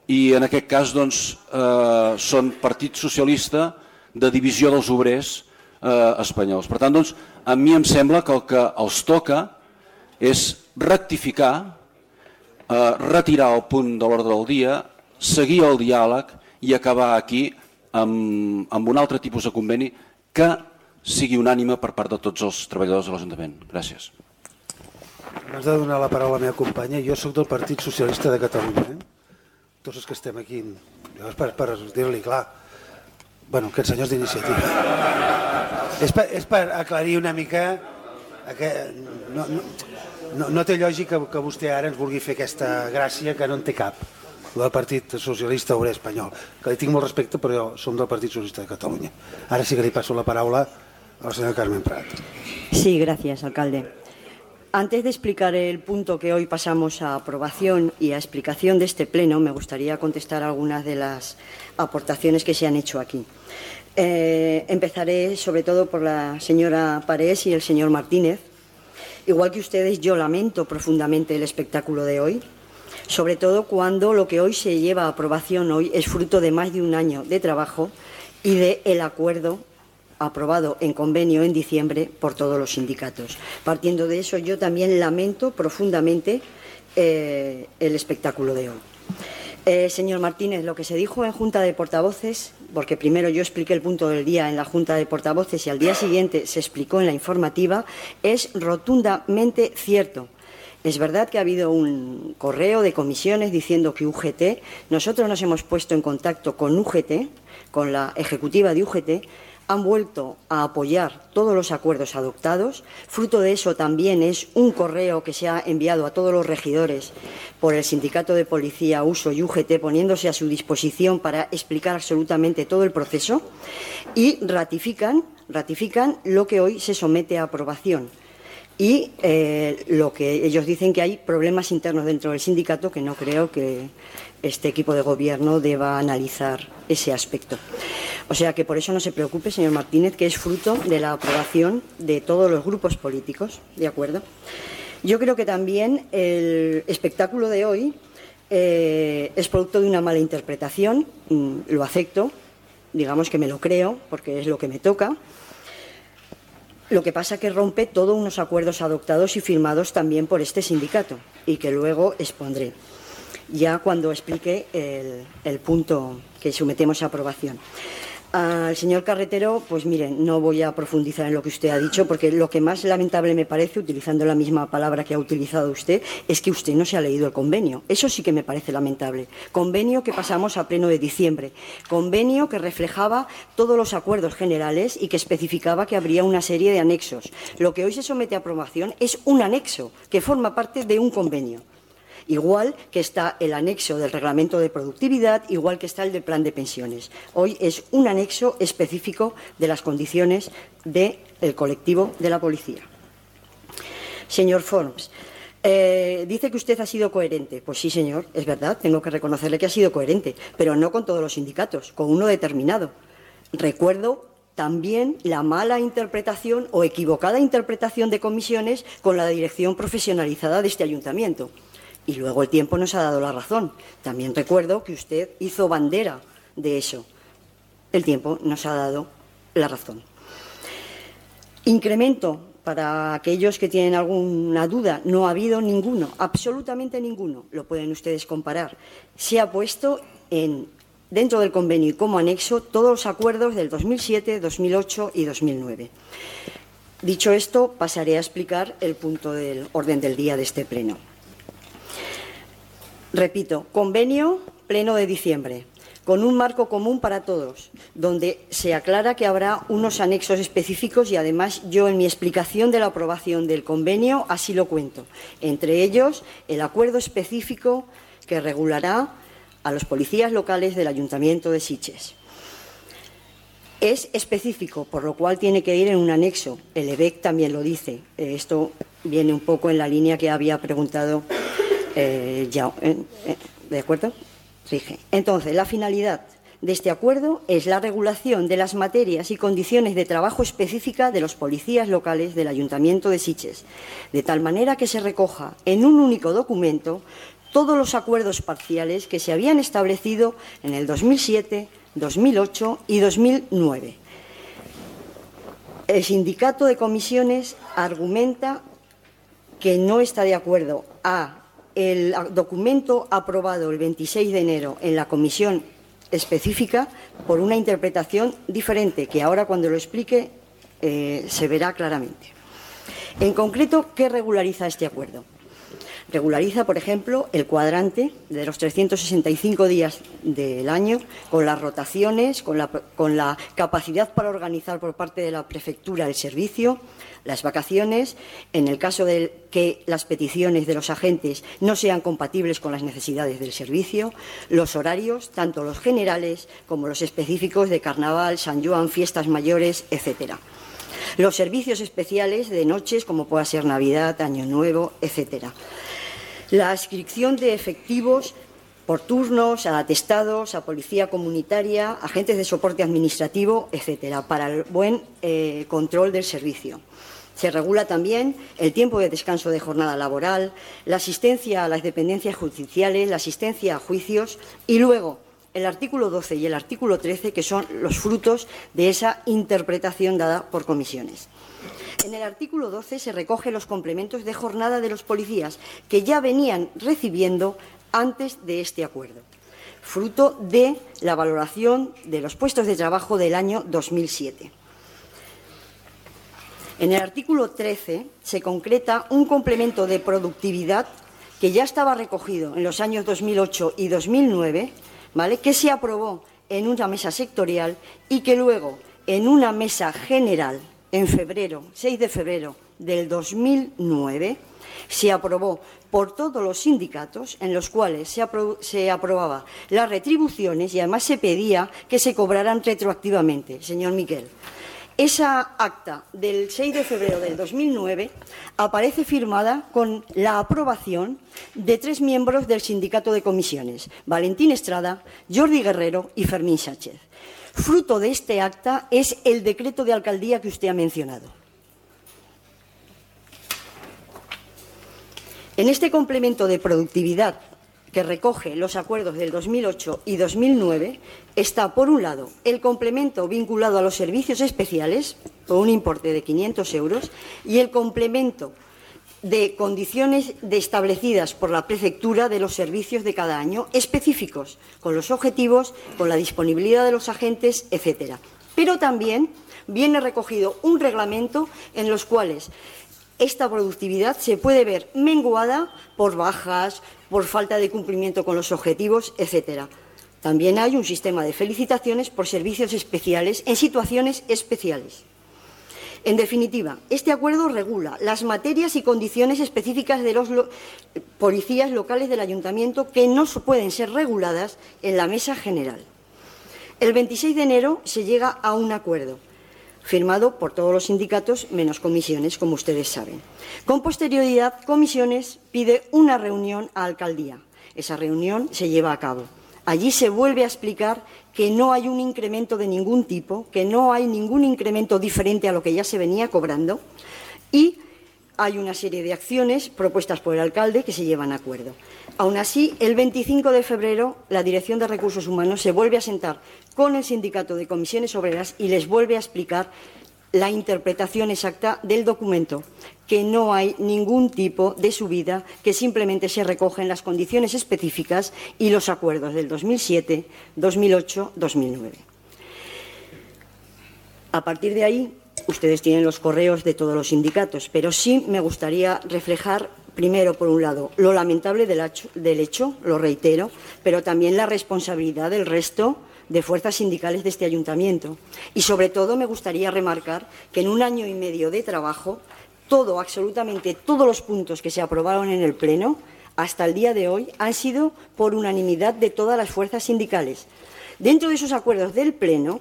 i en aquest cas doncs, eh, són Partit Socialista de divisió dels obrers eh, espanyols. Per tant, doncs, a mi em sembla que el que els toca és rectificar, eh, retirar el punt de l'ordre del dia, seguir el diàleg i acabar aquí amb, amb un altre tipus de conveni que sigui unànime per part de tots els treballadors de l'Ajuntament. Gràcies. Abans de donar la paraula a la meva companya, jo sóc del Partit Socialista de Catalunya. Eh? Tots els que estem aquí, és per, per dir-li clar, bueno, aquests senyors d'iniciativa. És, per, és per aclarir una mica que no, no, no, no té lògica que vostè ara ens vulgui fer aquesta gràcia que no en té cap, del Partit Socialista Obrer Espanyol, que li tinc molt respecte, però som del Partit Socialista de Catalunya. Ara sí que li passo la paraula a la señora Carmen Prat. Sí, gracias, alcalde. Antes de explicar el punto que hoy pasamos a aprobación y a explicación de este pleno, me gustaría contestar algunas de las aportaciones que se han hecho aquí. Eh, empezaré sobre todo por la señora Parés y el señor Martínez. Igual que ustedes, yo lamento profundamente el espectáculo de hoy, sobre todo cuando lo que hoy se lleva a aprobación hoy es fruto de más de un año de trabajo y del acuerdo aprobado en convenio en diciembre por todos los sindicatos. Partiendo de eso, yo también lamento profundamente eh, el espectáculo de hoy. Eh, señor Martínez, lo que se dijo en Junta de Portavoces, porque primero yo expliqué el punto del día en la Junta de Portavoces y al día siguiente se explicó en la informativa, es rotundamente cierto. Es verdad que ha habido un correo de comisiones diciendo que U G T, nosotros nos hemos puesto en contacto con U G T, con la ejecutiva de U G T, han vuelto a apoyar todos los acuerdos adoptados. Fruto de eso también es un correo que se ha enviado a todos los regidores por el Sindicato de Policía, Uso y U G T, poniéndose a su disposición para explicar absolutamente todo el proceso y ratifican, ratifican lo que hoy se somete a aprobación. Y eh, lo que ellos dicen que hay problemas internos dentro del sindicato que no creo que este equipo de gobierno deba analizar ese aspecto. O sea que por eso no se preocupe, señor Martínez, que es fruto de la aprobación de todos los grupos políticos, ¿de acuerdo? Yo creo que también el espectáculo de hoy eh, es producto de una mala interpretación, mm, lo acepto, digamos que me lo creo, porque es lo que me toca. Lo que pasa es que rompe todos unos acuerdos adoptados y firmados también por este sindicato y que luego expondré, ya cuando explique el, el punto que sometemos a aprobación. Al señor Carretero, pues miren, no voy a profundizar en lo que usted ha dicho, porque lo que más lamentable me parece, utilizando la misma palabra que ha utilizado usted, es que usted no se ha leído el convenio. Eso sí que me parece lamentable. Convenio que pasamos a pleno de diciembre. Convenio que reflejaba todos los acuerdos generales y que especificaba que habría una serie de anexos. Lo que hoy se somete a aprobación es un anexo que forma parte de un convenio. Igual que está el anexo del reglamento de productividad, igual que está el del plan de pensiones. Hoy es un anexo específico de las condiciones del colectivo de la policía. Señor Forns, eh, dice que usted ha sido coherente. Pues sí, señor, es verdad, tengo que reconocerle que ha sido coherente, pero no con todos los sindicatos, con uno determinado. Recuerdo también la mala interpretación o equivocada interpretación de comisiones con la dirección profesionalizada de este ayuntamiento. Y luego el tiempo nos ha dado la razón. También recuerdo que usted hizo bandera de eso. El tiempo nos ha dado la razón. Incremento, para aquellos que tienen alguna duda, no ha habido ninguno, absolutamente ninguno. Lo pueden ustedes comparar. Se ha puesto en, dentro del convenio y como anexo todos los acuerdos del dos mil siete, dos mil ocho y dos mil nueve. Dicho esto, pasaré a explicar el punto del orden del día de este pleno. Repito, convenio pleno de diciembre, con un marco común para todos, donde se aclara que habrá unos anexos específicos y además yo en mi explicación de la aprobación del convenio así lo cuento. Entre ellos, el acuerdo específico que regulará a los policías locales del Ayuntamiento de Sitges. Es específico, por lo cual tiene que ir en un anexo. El E B E C también lo dice. Esto viene un poco en la línea que había preguntado Eh, ya, eh, eh, ¿de acuerdo? Rige. Entonces, la finalidad de este acuerdo es la regulación de las materias y condiciones de trabajo específica de los policías locales del Ayuntamiento de Sitges, de tal manera que se recoja en un único documento todos los acuerdos parciales que se habían establecido en el dos mil siete, dos mil ocho y dos mil nueve. El sindicato de comisiones argumenta que no está de acuerdo a el documento aprobado el veintiséis de enero en la comisión específica por una interpretación diferente que ahora, cuando lo explique, eh, se verá claramente. En concreto, ¿qué regulariza este acuerdo? Regulariza, por ejemplo, el cuadrante de los trescientos sesenta y cinco días del año, con las rotaciones, con la, con la capacidad para organizar por parte de la prefectura el servicio, las vacaciones, en el caso de que las peticiones de los agentes no sean compatibles con las necesidades del servicio, los horarios, tanto los generales como los específicos de Carnaval, San Joan, fiestas mayores, etcétera. Los servicios especiales de noches, como pueda ser Navidad, Año Nuevo, etcétera. La adscripción de efectivos por turnos, a atestados, a policía comunitaria, agentes de soporte administrativo, etcétera, para el buen eh, control del servicio. Se regula también el tiempo de descanso de jornada laboral, la asistencia a las dependencias judiciales, la asistencia a juicios y luego el artículo doce y el artículo trece, que son los frutos de esa interpretación dada por comisiones. En el artículo doce se recogen los complementos de jornada de los policías que ya venían recibiendo antes de este acuerdo, fruto de la valoración de los puestos de trabajo del año dos mil siete. En el artículo trece se concreta un complemento de productividad que ya estaba recogido en los años dos mil ocho y dos mil nueve, ¿vale?, que se aprobó en una mesa sectorial y que luego en una mesa general en febrero, seis de febrero del dos mil nueve, se aprobó por todos los sindicatos, en los cuales se, apro se aprobaba las retribuciones y además se pedía que se cobraran retroactivamente. Señor Miquel, esa acta del seis de febrero del dos mil nueve aparece firmada con la aprobación de tres miembros del sindicato de comisiones, Valentín Estrada, Jordi Guerrero y Fermín Sánchez. Fruto de este acta es el decreto de alcaldía que usted ha mencionado. En este complemento de productividad que recoge los acuerdos del dos mil ocho y dos mil nueve está, por un lado, el complemento vinculado a los servicios especiales, por un importe de quinientos euros, y el complemento de condiciones de establecidas por la prefectura de los servicios de cada año, específicos, con los objetivos, con la disponibilidad de los agentes, etcétera. Pero también viene recogido un reglamento en los cuales esta productividad se puede ver menguada por bajas, por falta de cumplimiento con los objetivos, etcétera. También hay un sistema de felicitaciones por servicios especiales en situaciones especiales. En definitiva, este acuerdo regula las materias y condiciones específicas de los lo policías locales del Ayuntamiento que no pueden ser reguladas en la mesa general. El veintiséis de enero se llega a un acuerdo, firmado por todos los sindicatos menos comisiones, como ustedes saben. Con posterioridad, comisiones pide una reunión a alcaldía. Esa reunión se lleva a cabo. Allí se vuelve a explicar que no hay un incremento de ningún tipo, que no hay ningún incremento diferente a lo que ya se venía cobrando y hay una serie de acciones propuestas por el alcalde que se llevan a acuerdo. Aún así, el veinticinco de febrero, la Dirección de Recursos Humanos se vuelve a sentar con el Sindicato de Comisiones Obreras y les vuelve a explicar la interpretación exacta del documento, que no hay ningún tipo de subida, que simplemente se recogen las condiciones específicas y los acuerdos del dos mil siete, dos mil ocho, dos mil nueve. A partir de ahí, ustedes tienen los correos de todos los sindicatos, pero sí me gustaría reflejar, primero, por un lado, lo lamentable del hecho, del hecho, lo reitero, pero también la responsabilidad del resto de fuerzas sindicales de este ayuntamiento. Y, sobre todo, me gustaría remarcar que en un año y medio de trabajo, todo, absolutamente todos los puntos que se aprobaron en el Pleno, hasta el día de hoy, han sido por unanimidad de todas las fuerzas sindicales. Dentro de esos acuerdos del Pleno,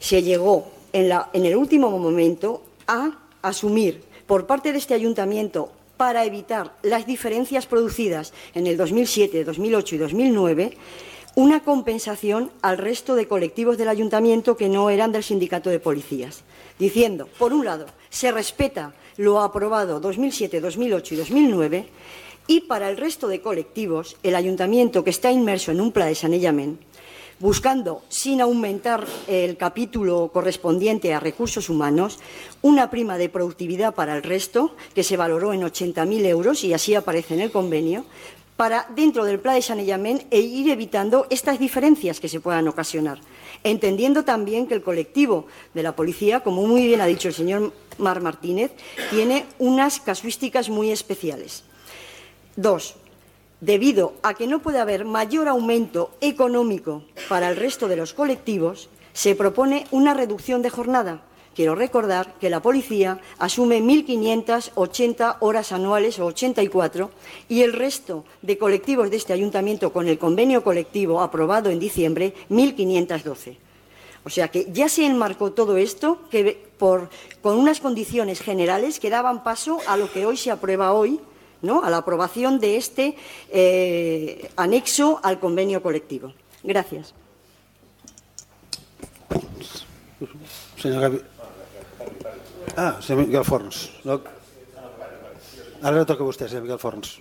se llegó en, la, en el último momento a asumir por parte de este ayuntamiento, para evitar las diferencias producidas en el dos mil siete, dos mil ocho y dos mil nueve, una compensación al resto de colectivos del ayuntamiento que no eran del sindicato de policías, diciendo, por un lado, se respeta lo aprobado dos mil siete, dos mil ocho y dos mil nueve, y para el resto de colectivos, el ayuntamiento que está inmerso en un plan de sanejament, buscando, sin aumentar el capítulo correspondiente a recursos humanos, una prima de productividad para el resto, que se valoró en ochenta mil euros, y así aparece en el convenio, para, dentro del plan de sanejament, e ir evitando estas diferencias que se puedan ocasionar, entendiendo también que el colectivo de la policía, como muy bien ha dicho el señor Marc Martínez, tiene unas casuísticas muy especiales. Dos, debido a que no puede haber mayor aumento económico para el resto de los colectivos, se propone una reducción de jornada. Quiero recordar que la policía asume mil quinientas ochenta horas anuales o ochenta y cuatro y el resto de colectivos de este ayuntamiento con el convenio colectivo aprobado en diciembre, mil quinientas doce. O sea que ya se enmarcó todo esto que por, con unas condiciones generales que daban paso a lo que hoy se aprueba hoy, ¿no?, a la aprobación de este eh, anexo al convenio colectivo. Gracias. Senyor Gavi... Ah, senyor Miquel Forns. No... Ara no toca a vostè, senyor Miquel Forns.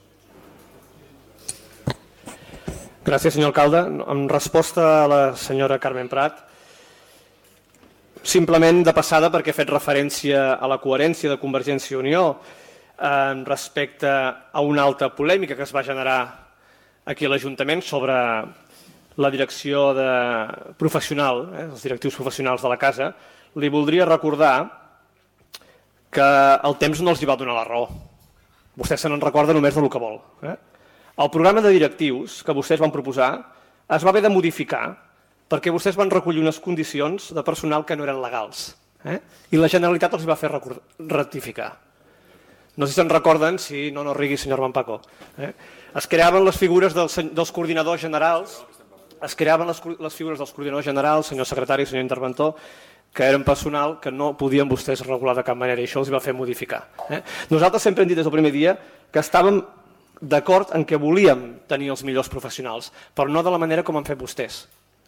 Gràcies, senyor alcalde. En resposta a la senyora Carmen Prat, simplement de passada perquè he fet referència a la coherència de Convergència i Unió respecte a una alta polèmica que es va generar aquí a l'Ajuntament sobre la direcció de professional, eh, els directius professionals de la casa, li voldria recordar que el temps no els hi va donar la raó. Vostè se n'en recorda només del que vol. Eh? El programa de directius que vostès van proposar es va haver de modificar perquè vostès van recollir unes condicions de personal que no eren legals. Eh? I la Generalitat els va fer rectificar. No sé si se'n recorden, si no, no rigui, senyor Mampaco. Eh? Es creaven les figures dels, dels coordinadors generals, es creaven les, les figures dels coordinadors generals, senyor secretari i senyor interventor, que eren personal que no podien vostès regular de cap manera i això els va fer modificar. Eh? Nosaltres sempre hem dit des del primer dia que estàvem d'acord en que volíem tenir els millors professionals, però no de la manera com han fet vostès,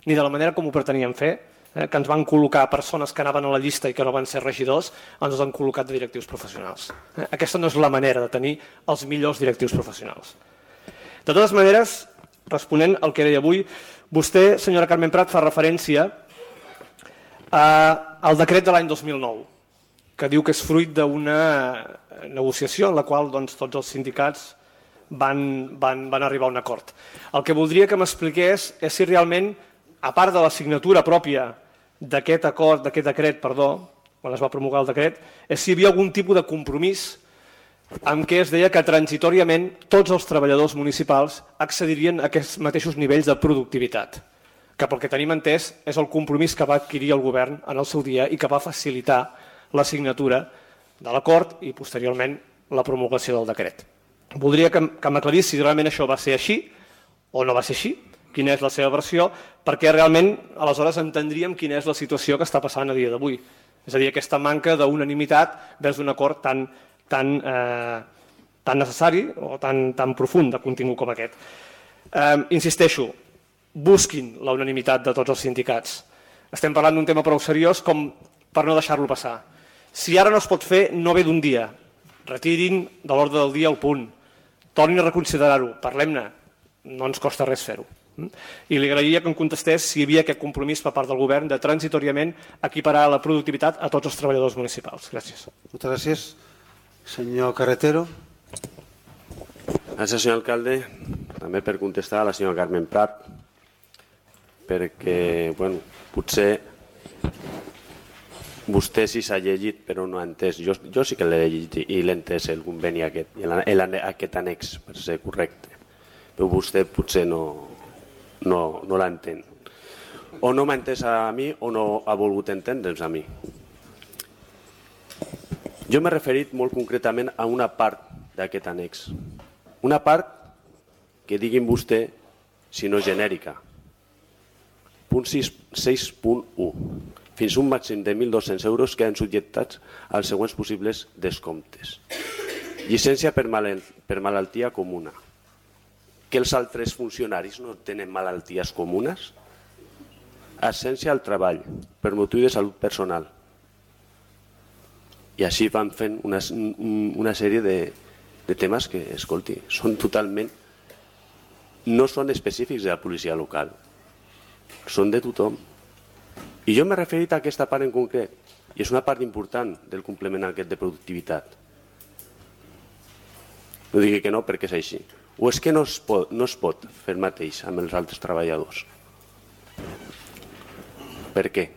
ni de la manera com ho pretenien fer, eh? que ens van col·locar persones que anaven a la llista i que no van ser regidors, ens els han col·locat de directius professionals. Eh? Aquesta no és la manera de tenir els millors directius professionals. De totes maneres, responent al que deia avui, vostè, senyora Carmen Prat, fa referència al decret de l'any dos mil nou, que diu que és fruit d'una negociació en la qual doncs, tots els sindicats van, van, van arribar a un acord. El que voldria que m'expliqués és si realment, a part de la signatura pròpia d'aquest acord, d'aquest decret, perdó, quan es va promulgar el decret, és si hi havia algun tipus de compromís en què es deia que transitoriament tots els treballadors municipals accedirien a aquests mateixos nivells de productivitat, que pel que tenim entès és el compromís que va adquirir el govern en el seu dia i que va facilitar la signatura de l'acord i posteriorment la promulgació del decret. Voldria que, que m'aclarís si realment això va ser així o no va ser així, quina és la seva versió, perquè realment aleshores entendríem quina és la situació que està passant a dia d'avui. És a dir, aquesta manca d'unanimitat vers un acord tan, tan, eh, tan necessari o tan, tan profund de contingut com aquest. Eh, insisteixo, busquin la unanimitat de tots els sindicats. Estem parlant d'un tema prou seriós com per no deixar-lo passar. Si ara no es pot fer, no ve d'un dia. Retirin de l'ordre del dia el punt. Tornin a reconsiderar-ho, parlem-ne. No ens costa res fer-ho. I li agrairia que em contestés si hi havia aquest compromís per part del govern de transitoriament equiparar la productivitat a tots els treballadors municipals. Gràcies. Moltes gràcies. Senyor Carretero. Gràcies, senyor alcalde. També per contestar a la senyora Carmen Prat, perquè, bueno, potser vostè sí s'ha llegit però no ha entès. Jo, jo sí que l'he llegit i l'he entès el conveni aquest, aquest annex, per ser correcte. Però vostè potser no, no, no l'entén. O no m'ha entès a mi o no ha volgut entendre'ns a mi. Jo m'he referit molt concretament a una part d'aquest annex. Una part que diguin vostè, si no genèrica. Punt sis punt u. Fins un màxim de mil dos-cents euros queden subjectats als següents possibles descomptes. Llicència per, mal, per malaltia comuna. que els altres funcionaris no tenen malalties comunes? Absència al treball per motiu de salut personal. I així van fent una, una sèrie de, de temes que, escolti, són totalment... no són específics de la policia local, són de tothom. I jo m'he referit a aquesta part en concret, i és una part important del complement aquest de productivitat. No digui que no, perquè és així. O és que no es pot, no es pot fer el mateix amb els altres treballadors. Per què?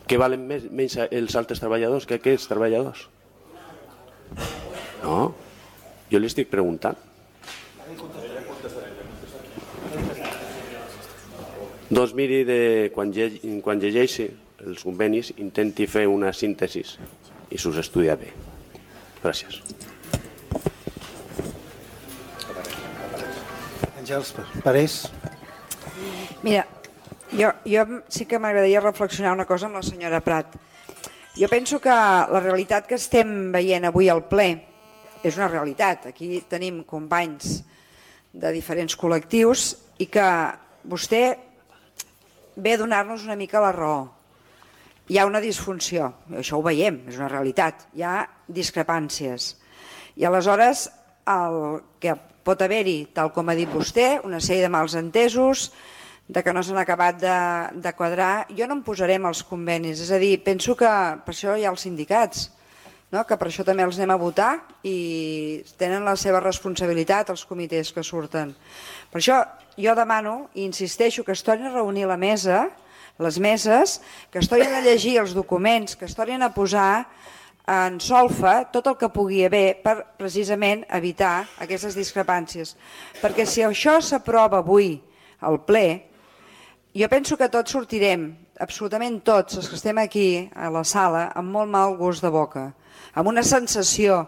Que valen més, menys els altres treballadors que aquests treballadors? No, jo li estic preguntant. Doncs miri, de, quan, lle, quan llegeixi els convenis, intenti fer una síntesi i s'us estudia bé. Gràcies. Àngels, Parés. Mira, jo, jo sí que m'agradaria reflexionar una cosa amb la senyora Prat. Jo penso que la realitat que estem veient avui al ple és una realitat. Aquí tenim companys de diferents col·lectius i que vostè ve a donar-nos una mica la raó. Hi ha una disfunció, això ho veiem, és una realitat, hi ha discrepàncies. I aleshores el que pot haver-hi, tal com ha dit vostè, una sèrie de mals entesos, de que no s'han acabat de, de quadrar, jo no em posaré amb els convenis, és a dir, penso que per això hi ha els sindicats, no? Que per això també els anem a votar i tenen la seva responsabilitat els comitès que surten. Per això jo demano i insisteixo que es tornin a reunir la mesa, les meses, que es tornin a llegir els documents, que es tornin a posar en solfa tot el que pugui haver per precisament evitar aquestes discrepàncies. Perquè si això s'aprova avui al ple, jo penso que tots sortirem, absolutament tots els que estem aquí a la sala, amb molt mal gust de boca, amb una sensació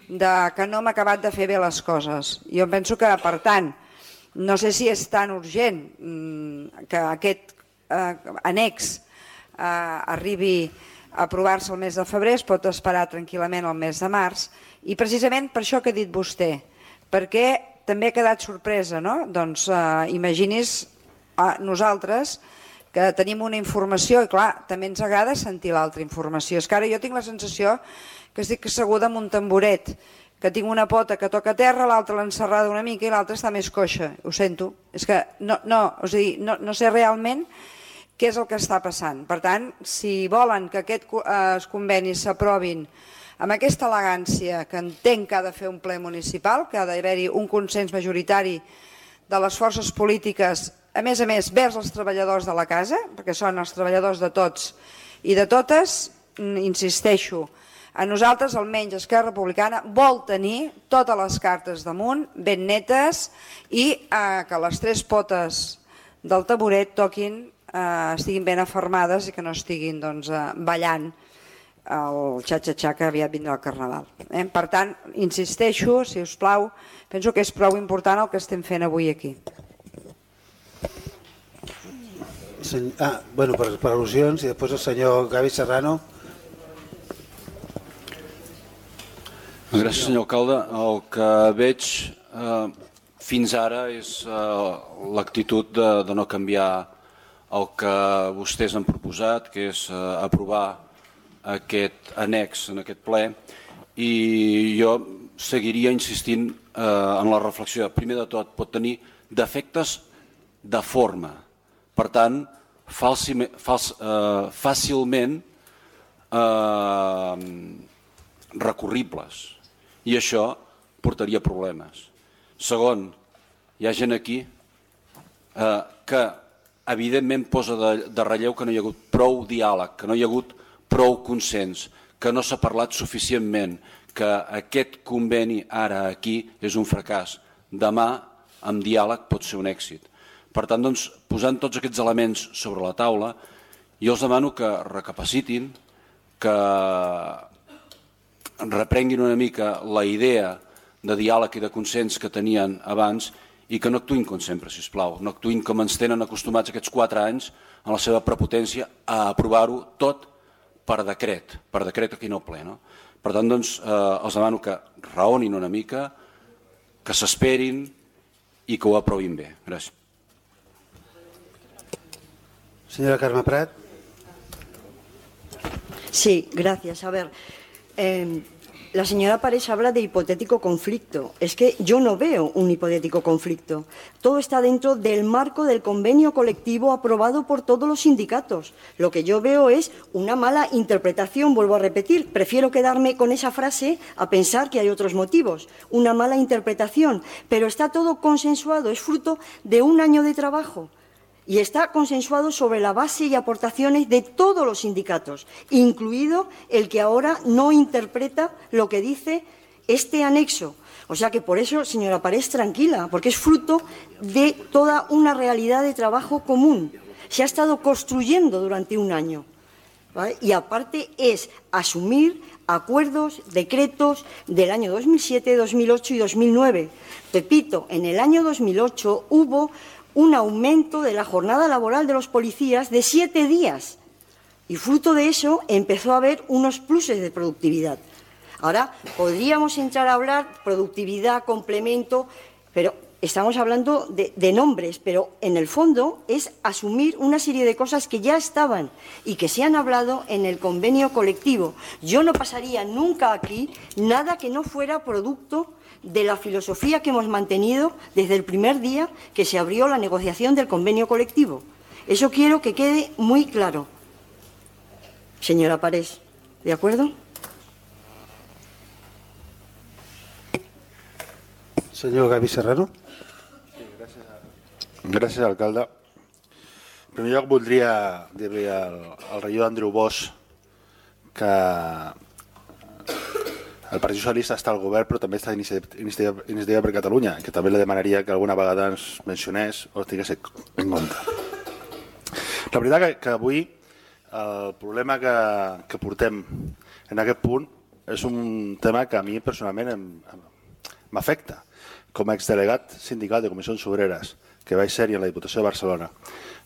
de que no hem acabat de fer bé les coses. Jo penso que, per tant, no sé si és tan urgent que aquest eh, annex eh, arribi a aprovar-se el mes de febrer, es pot esperar tranquil·lament el mes de març, i precisament per això que ha dit vostè, perquè també ha quedat sorpresa, no? Doncs eh, imagini's eh, nosaltres que tenim una informació i clar, també ens agrada sentir l'altra informació. És que ara jo tinc la sensació que estic asseguda en un tamboret, que tinc una pota que toca terra, l'altra l'ha encerrada una mica i l'altra està més coixa. Ho sento. És que no, no, o sigui, no, no sé realment què és el que està passant. Per tant, si volen que aquests eh, convenis s'aprovin amb aquesta elegància que entenc que ha de fer un ple municipal, que ha d'haver-hi un consens majoritari de les forces polítiques, a més a més, vers els treballadors de la casa, perquè són els treballadors de tots i de totes, insisteixo, a nosaltres, almenys Esquerra Republicana, vol tenir totes les cartes damunt, ben netes, i eh, que les tres potes del taburet toquin, eh, estiguin ben afermades i que no estiguin doncs, eh, ballant el xa-xa-xa que aviat vindrà el Carnaval. Eh? Per tant, insisteixo, si us plau, penso que és prou important el que estem fent avui aquí. Ah, bueno, per, per al·lusions, i després el senyor Gavi Serrano. Gràcies, senyor alcalde. El que veig eh, fins ara és eh, l'actitud de, de no canviar el que vostès han proposat, que és eh, aprovar aquest annex en aquest ple, i jo seguiria insistint eh, en la reflexió. Primer de tot, pot tenir defectes de forma, per tant, falsi, fals, eh, fàcilment eh, recurribles. I això portaria problemes. Segon, hi ha gent aquí eh, que evidentment posa de, de relleu que no hi ha hagut prou diàleg, que no hi ha hagut prou consens, que no s'ha parlat suficientment, que aquest conveni ara aquí és un fracàs. Demà, amb diàleg, pot ser un èxit. Per tant, doncs, posant tots aquests elements sobre la taula, jo els demano que recapacitin, que reprenguin una mica la idea de diàleg i de consens que tenien abans i que no actuïn com sempre, sisplau. No actuïn com ens tenen acostumats aquests quatre anys en la seva prepotència a aprovar-ho tot per decret, per decret aquí no ple. No? Per tant, doncs, eh, els demano que raonin una mica, que s'esperin i que ho aprovin bé. Gràcies. Señora Carme Prat. Sí, gracias. A ver, eh, la señora Parés habla de hipotético conflicto. Es que yo no veo un hipotético conflicto. Todo está dentro del marco del convenio colectivo aprobado por todos los sindicatos. Lo que yo veo es una mala interpretación, vuelvo a repetir. Prefiero quedarme con esa frase a pensar que hay otros motivos. Una mala interpretación. Pero está todo consensuado, es fruto de un año de trabajo. Y está consensuado sobre la base y aportaciones de todos los sindicatos, incluido el que ahora no interpreta lo que dice este anexo. O sea que por eso, señora Parés, tranquila, porque es fruto de toda una realidad de trabajo común. Se ha estado construyendo durante un año. ¿Vale? Y aparte es asumir acuerdos, decretos del año dos mil siete, dos mil ocho y dos mil nueve. Repito, en el año dos mil ocho hubo un aumento de la jornada laboral de los policías de siete días. Y fruto de eso empezó a haber unos pluses de productividad. Ahora, podríamos entrar a hablar productividad, complemento, pero estamos hablando de, de nombres, pero en el fondo es asumir una serie de cosas que ya estaban y que se han hablado en el convenio colectivo. Yo no pasaría nunca aquí nada que no fuera producto de la filosofía que hemos mantenido desde el primer día que se abrió la negociación del convenio colectivo. Eso quiero que quede muy claro. Señora Parés, ¿de acuerdo? Senyor Gavi Serrano. Sí, gràcies, gràcies, alcalde. En primer lloc, voldria dir-li al, al regidor Andreu Bosch que el Partit Socialista està al govern, però també està Iniciativa, Iniciativa per Catalunya, que també li demanaria que alguna vegada ens mencionés o tingués en compte. La veritat que, que avui el problema que, que portem en aquest punt és un tema que a mi personalment m'afecta. Com a exdelegat sindical de Comissions Obreres, que vaig ser-hi en la Diputació de Barcelona,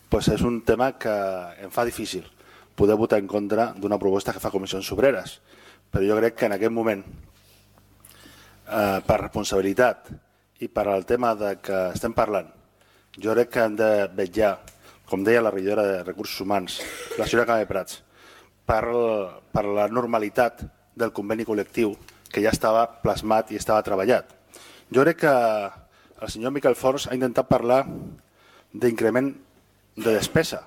doncs és un tema que em fa difícil poder votar en contra d'una proposta que fa Comissions Obreres. Però jo crec que en aquest moment, eh, per responsabilitat i per al tema de que estem parlant, jo crec que hem de vetllar, com deia la regidora de Recursos Humans, la senyora Carme Prats, per, per la normalitat del conveni col·lectiu que ja estava plasmat i estava treballat. Jo crec que el senyor Miquel Fors ha intentat parlar d'increment de despesa,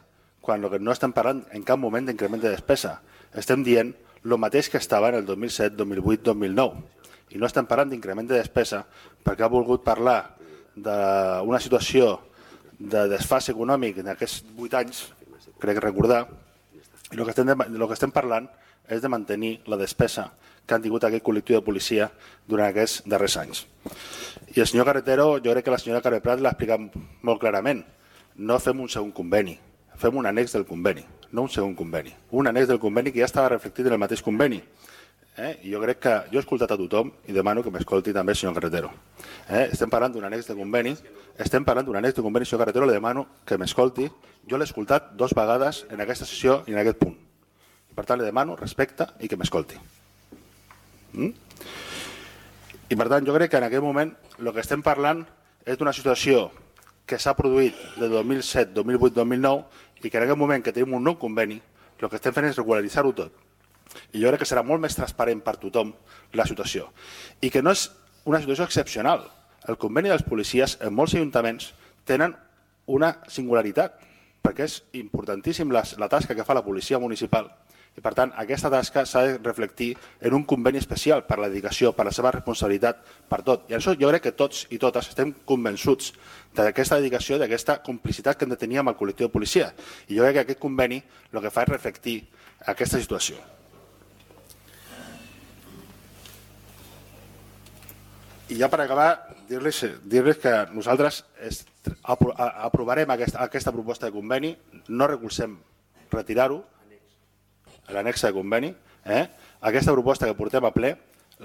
quan no estem parlant en cap moment d'increment de despesa. Estem dient el mateix que estava en el dos mil set, dos mil vuit, dos mil nou. I no estem parlant d'increment de despesa perquè ha volgut parlar d'una situació de desfase econòmic en aquests vuit anys, crec recordar, i el que estem, el que estem parlant és de mantenir la despesa que han tingut aquest col·lectiu de policia durant aquests darrers anys. I el senyor Carretero, jo crec que la senyora Carme Prat l'ha explicat molt clarament. No fem un segon conveni, fem un annex del conveni, no un segon conveni. Un annex del conveni que ja estava reflectit en el mateix conveni. Eh? I jo crec que jo he escoltat a tothom i demano que m'escolti també el senyor Carretero. Eh? Estem parlant d'un annex de conveni, estem parlant d'un annex de conveni, senyor Carretero, le demano que m'escolti. Jo l'he escoltat dos vegades en aquesta sessió i en aquest punt. Per tant, le demano respecte i que m'escolti. Mm? I per tant, jo crec que en aquest moment el que estem parlant és d'una situació que s'ha produït de dos mil set, dos mil vuit, dos mil nou i que en aquest moment que tenim un nou conveni, el que estem fent és regularitzar-ho tot. I jo crec que serà molt més transparent per tothom la situació. I que no és una situació excepcional. El conveni dels policies en molts ajuntaments tenen una singularitat, perquè és importantíssim la, la tasca que fa la policia municipal. I per tant, aquesta tasca s'ha de reflectir en un conveni especial per la dedicació, per la seva responsabilitat, per tot. I això jo crec que tots i totes estem convençuts d'aquesta dedicació, d'aquesta complicitat que hem de tenir amb el col·lectiu de policia. I jo crec que aquest conveni el que fa és reflectir aquesta situació. I ja per acabar, dir-los dir que nosaltres aprovarem aquesta, aquesta proposta de conveni, no recolzem retirar-ho, l'anexa de conveni, eh? Aquesta proposta que portem a ple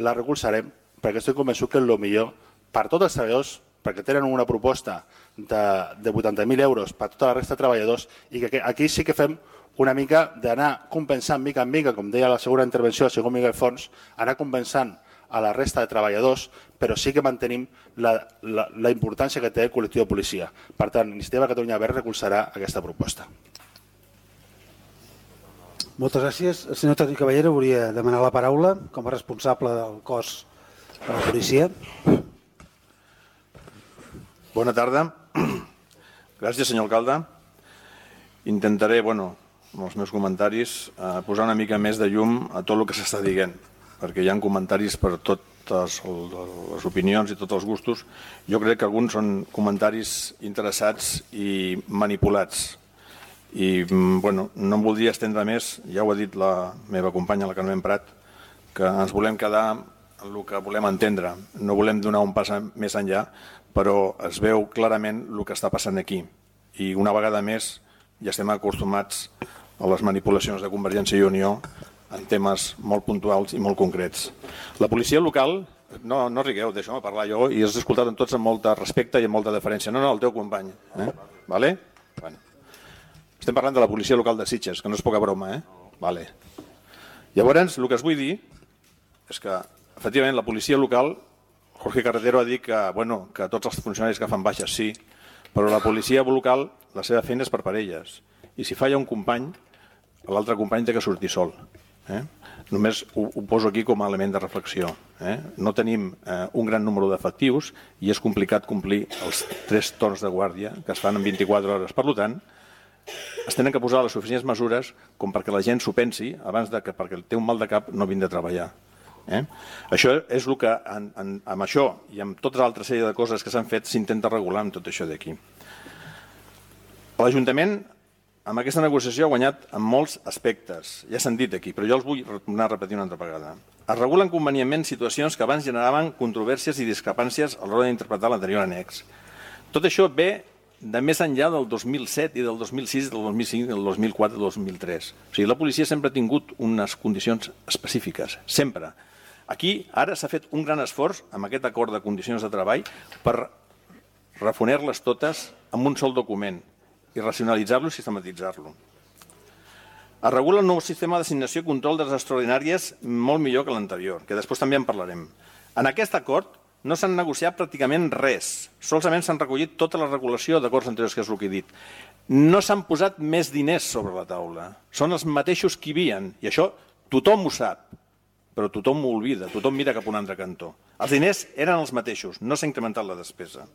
la recolzarem perquè estic convençut que és el millor per tots els treballadors, perquè tenen una proposta de, de vuitanta mil euros per tota la resta de treballadors i que aquí sí que fem una mica d'anar compensant mica en mica, com deia la segona intervenció del senyor Miquel Fons, anar compensant a la resta de treballadors, però sí que mantenim la, la, la importància que té el col·lectiu de policia. Per tant, Iniciativa Catalunya Verds recolzarà aquesta proposta. Moltes gràcies. El senyor Toni Caballero volia demanar la paraula com a responsable del cos de la policia. Bona tarda. Gràcies, senyor alcalde. Intentaré, bueno, amb els meus comentaris, eh, posar una mica més de llum a tot el que s'està dient, perquè hi ha comentaris per totes les opinions i tots els gustos. Jo crec que alguns són comentaris interessats i manipulats. I, bueno, no em voldria estendre més, ja ho ha dit la meva companya, la Carmen Prat, que ens volem quedar en el que volem entendre. No volem donar un pas més enllà, però es veu clarament el que està passant aquí. I una vegada més ja estem acostumats a les manipulacions de Convergència i Unió en temes molt puntuals i molt concrets. La policia local, no, no rigueu, deixeu-me parlar jo, i has escoltat en tots amb molt de respecte i amb molta deferència. No, no, el teu company. Eh? Vale? Bueno. Estem parlant de la policia local de Sitges, que no és poca broma, eh? Vale. Llavors, el que us vull dir és que, efectivament, la policia local, Jorge Carretero ha dit que, bueno, que tots els funcionaris que fan baixes sí, però la policia local, la seva feina és per parelles. I si falla un company, l'altre company té que sortir sol. Eh? Només ho, ho poso aquí com a element de reflexió. Eh? No tenim eh, un gran número d'efectius i és complicat complir els tres torns de guàrdia que es fan en vint-i-quatre hores. Per tant, es tenen que posar les suficients mesures com perquè la gent s'ho pensi abans de que perquè té un mal de cap no vingui a treballar. Eh? Això és el que en, en, amb això i amb tota l'altra sèrie de coses que s'han fet s'intenta regular amb tot això d'aquí. L'Ajuntament amb aquesta negociació ha guanyat en molts aspectes, ja s'han dit aquí, però jo els vull tornar a repetir una altra vegada. Es regulen convenientment situacions que abans generaven controvèrsies i discrepàncies a l'hora d'interpretar l'anterior annex. Tot això ve de més enllà del dos mil set i del dos mil sis, del dos mil cinc, del dos mil quatre i del dos mil tres. O sigui, la policia sempre ha tingut unes condicions específiques, sempre. Aquí ara s'ha fet un gran esforç amb aquest acord de condicions de treball per refoner-les totes amb un sol document i racionalitzar-lo i sistematitzar-lo. Es regula un nou sistema d'assignació i control de les extraordinàries molt millor que l'anterior, que després també en parlarem. En aquest acord no s'han negociat pràcticament res, solament s'han recollit tota la regulació d'acords anteriors, que és el que he dit. No s'han posat més diners sobre la taula, són els mateixos que hi havia, i això tothom ho sap, però tothom ho oblida, tothom mira cap a un altre cantó. Els diners eren els mateixos, no s'ha incrementat la despesa.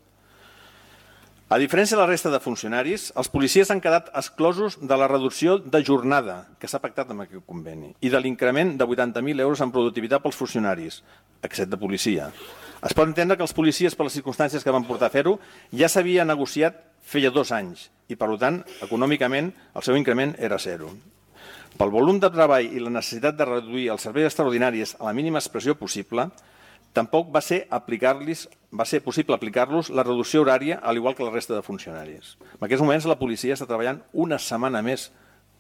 A diferència de la resta de funcionaris, els policies han quedat exclosos de la reducció de jornada que s'ha pactat amb aquest conveni i de l'increment de vuitanta mil euros en productivitat pels funcionaris, excepte de policia. Es pot entendre que els policies, per les circumstàncies que van portar a fer-ho, ja s'havia negociat feia dos anys i, per tant, econòmicament, el seu increment era zero. Pel volum de treball i la necessitat de reduir els serveis extraordinaris a la mínima expressió possible, tampoc va ser, aplicar-los, va ser possible aplicar-los la reducció horària, al igual que la resta de funcionaris. En aquests moments la policia està treballant una setmana més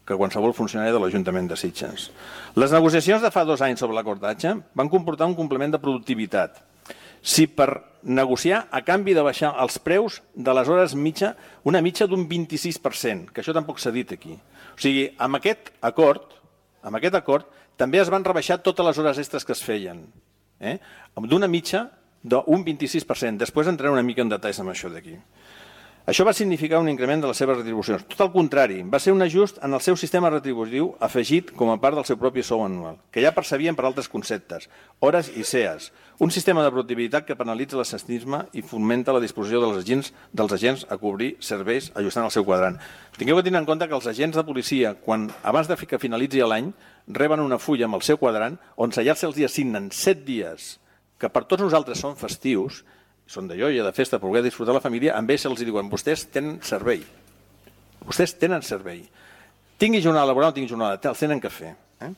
que qualsevol funcionari de l'Ajuntament de Sitges. Les negociacions de fa dos anys sobre l'acordatge van comportar un complement de productivitat. Si per negociar a canvi de baixar els preus de les hores mitja, una mitja d'un vint-i-sis per cent, que això tampoc s'ha dit aquí. O sigui, amb aquest acord, amb aquest acord també es van rebaixar totes les hores extres que es feien, eh? d'una mitja d'un vint-i-sis per cent. Després entraré una mica en detalls amb això d'aquí. Això va significar un increment de les seves retribucions. Tot el contrari, va ser un ajust en el seu sistema retributiu afegit com a part del seu propi sou anual, que ja percebien per altres conceptes, hores i C E As, un sistema de productivitat que penalitza l'ascensisme i fomenta la disposició dels agents, dels agents a cobrir serveis ajustant el seu quadrant. Tingueu que tenir en compte que els agents de policia, quan abans de que finalitzi l'any, reben una fulla amb el seu quadrant on allà se'ls assignen set dies que per tots nosaltres són festius, són de joia, de festa, per poder disfrutar la família, amb ells se'ls diuen, vostès tenen servei. Vostès tenen servei. Tingui jornada laboral o tingui jornada, els tenen que fer. Eh?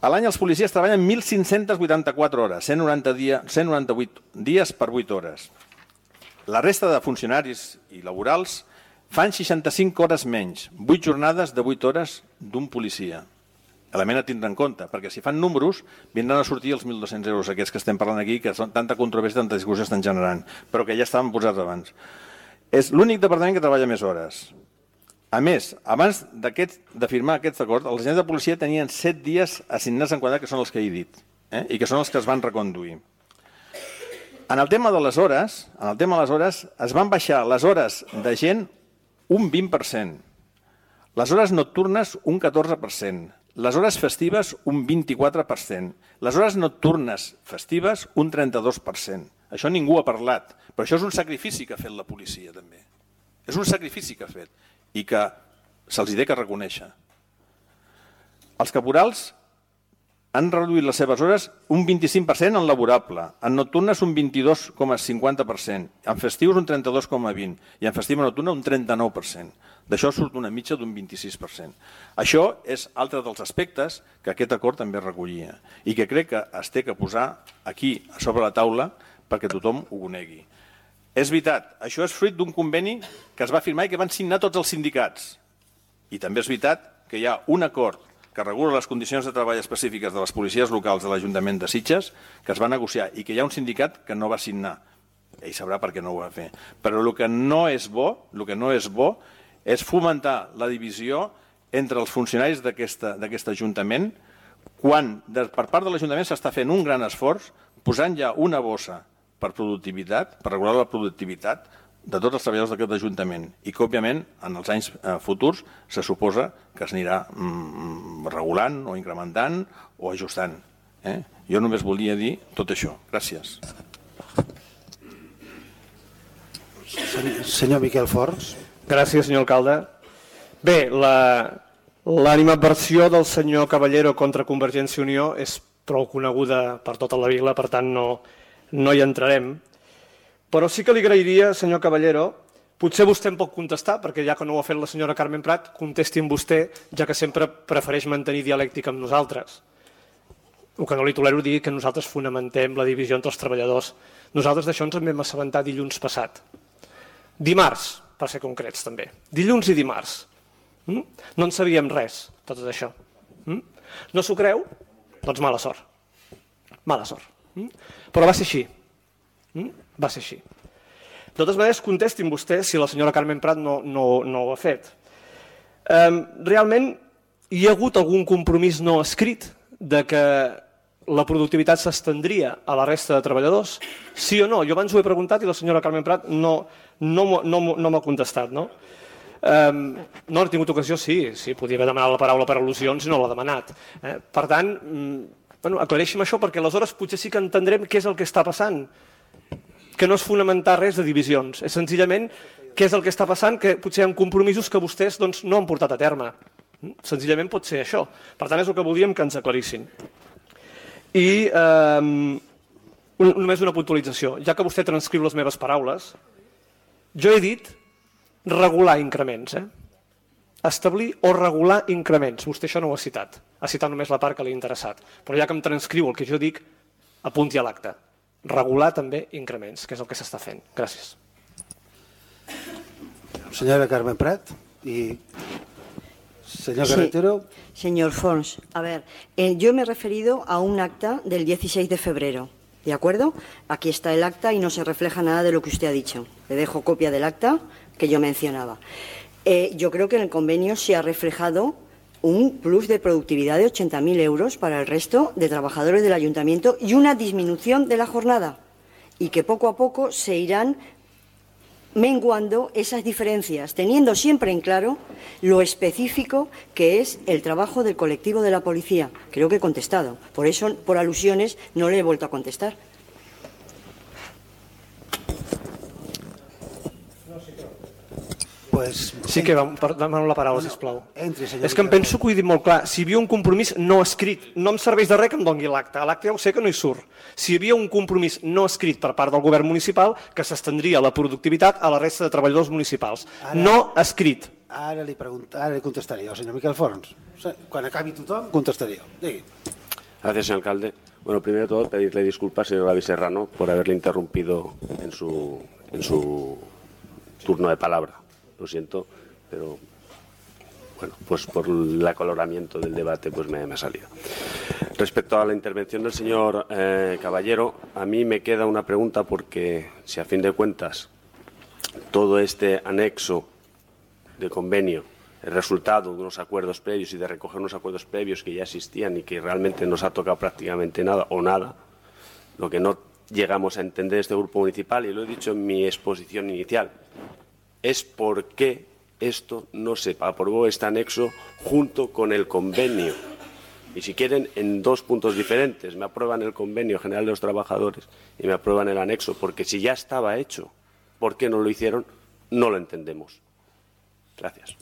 A l'any els policies treballen mil cinc-centes vuitanta-quatre hores, cent noranta-vuit dies per vuit hores. La resta de funcionaris i laborals fan seixanta-cinc hores menys, vuit jornades de vuit hores d'un policia. Element a tindre en compte, perquè si fan números vindran a sortir els mil dos-cents euros aquests que estem parlant aquí, que són tanta controvèrsia, tanta discussió estan generant, però que ja estaven posats abans. És l'únic departament que treballa més hores. A més, abans de firmar aquest acord, els agents de policia tenien set dies assignats en quadrat, que són els que he dit. eh? I que són els que es van reconduir. En el tema de les hores, en el tema de les hores, es van baixar les hores de gent un vint per cent, les hores nocturnes un catorze per cent, les hores festives un vint-i-quatre per cent, les hores nocturnes festives un trenta-dos per cent. Això ningú ha parlat, però això és un sacrifici que ha fet la policia també. És un sacrifici que ha fet i que se'ls hi ha que reconèixer. Els caporals han reduït les seves hores un vint-i-cinc per cent en laborable, en nocturnes un vint-i-dos coma cinquanta per cent, en festius un trenta-dos coma vint i en festiva nocturna un trenta-nou per cent. D'això surt una mitja d'un vint-i-sis per cent. Això és altre dels aspectes que aquest acord també recollia i que crec que es té que posar aquí a sobre la taula perquè tothom ho conegui. És veritat, això és fruit d'un conveni que es va firmar i que van signar tots els sindicats. I també és veritat que hi ha un acord que regula les condicions de treball específiques de les policies locals de l'Ajuntament de Sitges, que es va negociar i que hi ha un sindicat que no va signar. Ell sabrà per què no ho va fer. Però el que no és bo, el que no és bo és fomentar la divisió entre els funcionaris d'aquest Ajuntament quan per part de l'Ajuntament s'està fent un gran esforç posant ja una bossa per productivitat, per regular la productivitat de tots els treballadors d'aquest Ajuntament i que, òbviament, en els anys futurs se suposa que s'anirà regulant o incrementant o ajustant. Jo només volia dir tot això. Gràcies. Senyor Miquel Forns. Gràcies, senyor alcalde. Bé, l'animadversió del senyor Caballero contra Convergència i Unió és prou coneguda per tota la vila, per tant no hi entrarem. Però sí que li agrairia, senyor Caballero, potser vostè em pot contestar, perquè ja que no ho ha fet la senyora Carmen Prat, contesti amb vostè, ja que sempre prefereix mantenir dialèctica amb nosaltres. El que no li tolero dir que nosaltres fonamentem la divisió entre els treballadors. Nosaltres d'això ens en vam assabentar dilluns passat. Dimarts, per ser concrets també. Dilluns i dimarts. No en sabíem res, tot això. No s'ho creu? Doncs mala sort. Mala sort. Però va ser així. Va ser així. De totes maneres, contestin vostès si la senyora Carmen Prat no ho ha fet. Realment, hi ha hagut algun compromís no escrit de que la productivitat s'estendria a la resta de treballadors? Sí o no? Jo abans ho he preguntat i la senyora Carmen Prat no m'ha contestat. No he tingut ocasió, sí, podia haver demanat la paraula per al·lusions i no l'ha demanat. Per tant, aclareixem això perquè aleshores potser sí que entendrem què és el que està passant, que no és fonamentar res de divisions, és senzillament què és el que està passant, que potser hi ha compromisos que vostès no han portat a terme. Senzillament pot ser això. Per tant, és el que voldríem que ens aclarissin. I només una puntualització. Ja que vostè transcriu les meves paraules, jo he dit regular increments. Establir o regular increments. Vostè això no ho ha citat. Ha citat només la part que li ha interessat. Però ja que em transcriu el que jo dic, apunti a l'acte. Regular també increments, que és el que s'està fent. Gràcies. Senyora Carmen Prat y señor Carretero. Sí, señor Forns, a ver, eh, yo me he referido a un acta del dieciséis de febrero, ¿de acuerdo? Aquí está el acta y no se refleja nada de lo que usted ha dicho. Le dejo copia del acta que yo mencionaba. Eh, yo creo que en el convenio se ha reflejado un plus de productividad de ochenta mil euros para el resto de trabajadores del ayuntamiento y una disminución de la jornada y que poco a poco se irán menguando esas diferencias, teniendo siempre en claro lo específico que es el trabajo del colectivo de la policía. Creo que he contestado. Por eso, por alusiones, no le he vuelto a contestar. Pues, sí que demano la paraula, sisplau. Entri, senyor. És que em penso que ho he dit molt clar. Si hi havia un compromís no escrit, no em serveix de res que em doni l'acte. L'acte ja ho sé que no hi surt. Si hi havia un compromís no escrit per part del govern municipal que s'estendria la productivitat a la resta de treballadors municipals. No escrit. Ara li contestaré jo, senyor Miquel Forns. Quan acabi tothom, contestaré jo. Digui. Gracias, señor alcalde. Bueno, primero de todo, pedirle disculpas, señor Gaby Serrano, por haberle interrumpido en su, en su turno de palabra. Lo siento, pero bueno, pues por el acoloramiento del debate pues me, me ha salido. Respecto a la intervención del señor eh, Caballero, a mí me queda una pregunta porque si a fin de cuentas todo este anexo de convenio el resultado de unos acuerdos previos y de recoger unos acuerdos previos que ya existían y que realmente nos ha tocado prácticamente nada o nada, lo que no llegamos a entender este grupo municipal, y lo he dicho en mi exposición inicial, es por qué esto no se aprobó este anexo junto con el convenio. Y si quieren, en dos puntos diferentes, me aprueban el convenio general de los trabajadores y me aprueban el anexo, porque si ya estaba hecho, ¿por qué no lo hicieron? No lo entendemos. Gracias.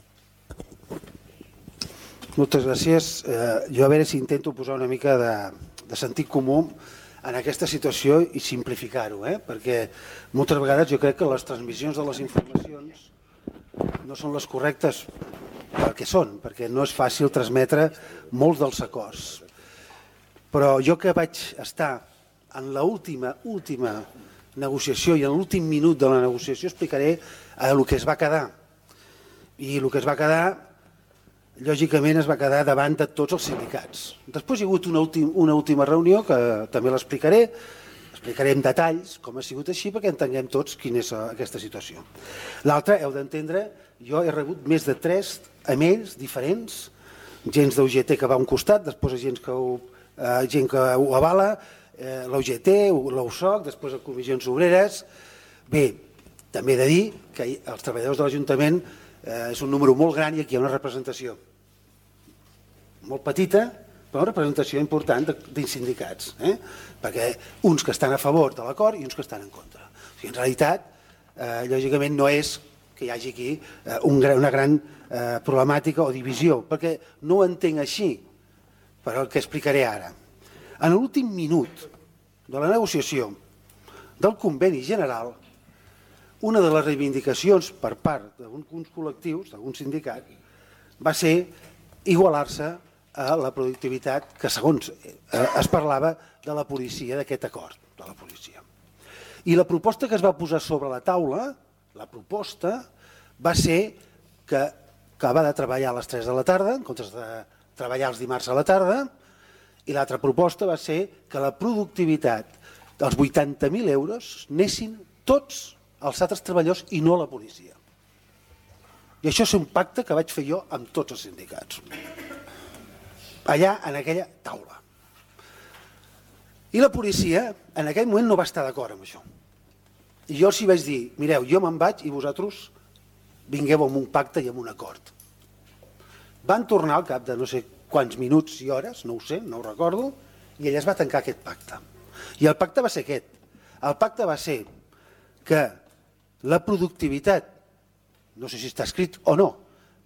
Moltes gràcies. Eh, jo a veure si intento posar una mica de, de sentit comú en aquesta situació i simplificar-ho, eh? Perquè moltes vegades jo crec que les transmissions de les informacions no són les correctes perquè són, perquè no és fàcil transmetre molts dels acords. Però jo que vaig estar en l'última última negociació i en l'últim minut de la negociació explicaré el que es va quedar. I el que es va quedar, lògicament, es va quedar davant de tots els sindicats. Després hi ha hagut una, últim, una última reunió que també l'explicaré, explicaré en detalls com ha sigut així perquè entenguem tots quina és aquesta situació. L'altra, heu d'entendre, jo he rebut més de tres emails diferents, gent d'U G T que va a un costat, després gent que ho, eh, gent que ho avala, eh, l'U G T, l'U S O C, després les comissions obreres. Bé, també he de dir que els treballadors de l'Ajuntament eh, és un número molt gran i aquí hi ha una representació molt petita, però una representació important dins sindicats, eh? Perquè uns que estan a favor de l'acord i uns que estan en contra. O sigui, en realitat, eh, lògicament no és que hi hagi aquí eh, un, una gran eh, problemàtica o divisió, perquè no ho entenc així, per el que explicaré ara. En l'últim minut de la negociació del conveni general, una de les reivindicacions per part d'alguns col·lectius, d'algun sindicat, va ser igualar-se a la productivitat que, segons es parlava, de la policia, d'aquest acord de la policia. I la proposta que es va posar sobre la taula, la proposta, va ser que acaba de treballar a les tres de la tarda, en comptes de treballar els dimarts a la tarda, i l'altra proposta va ser que la productivitat dels vuitanta mil euros anessin tots els altres treballadors i no la policia. I això és un pacte que vaig fer jo amb tots els sindicats, allà en aquella taula. I la policia en aquell moment no va estar d'acord amb això. I jo els hi vaig dir, mireu, jo me'n vaig i vosaltres vingueu amb un pacte i amb un acord. Van tornar al cap de no sé quants minuts i hores, no ho sé, no ho recordo, i ella es va tancar aquest pacte. I el pacte va ser aquest. El pacte va ser que la productivitat, no sé si està escrit o no,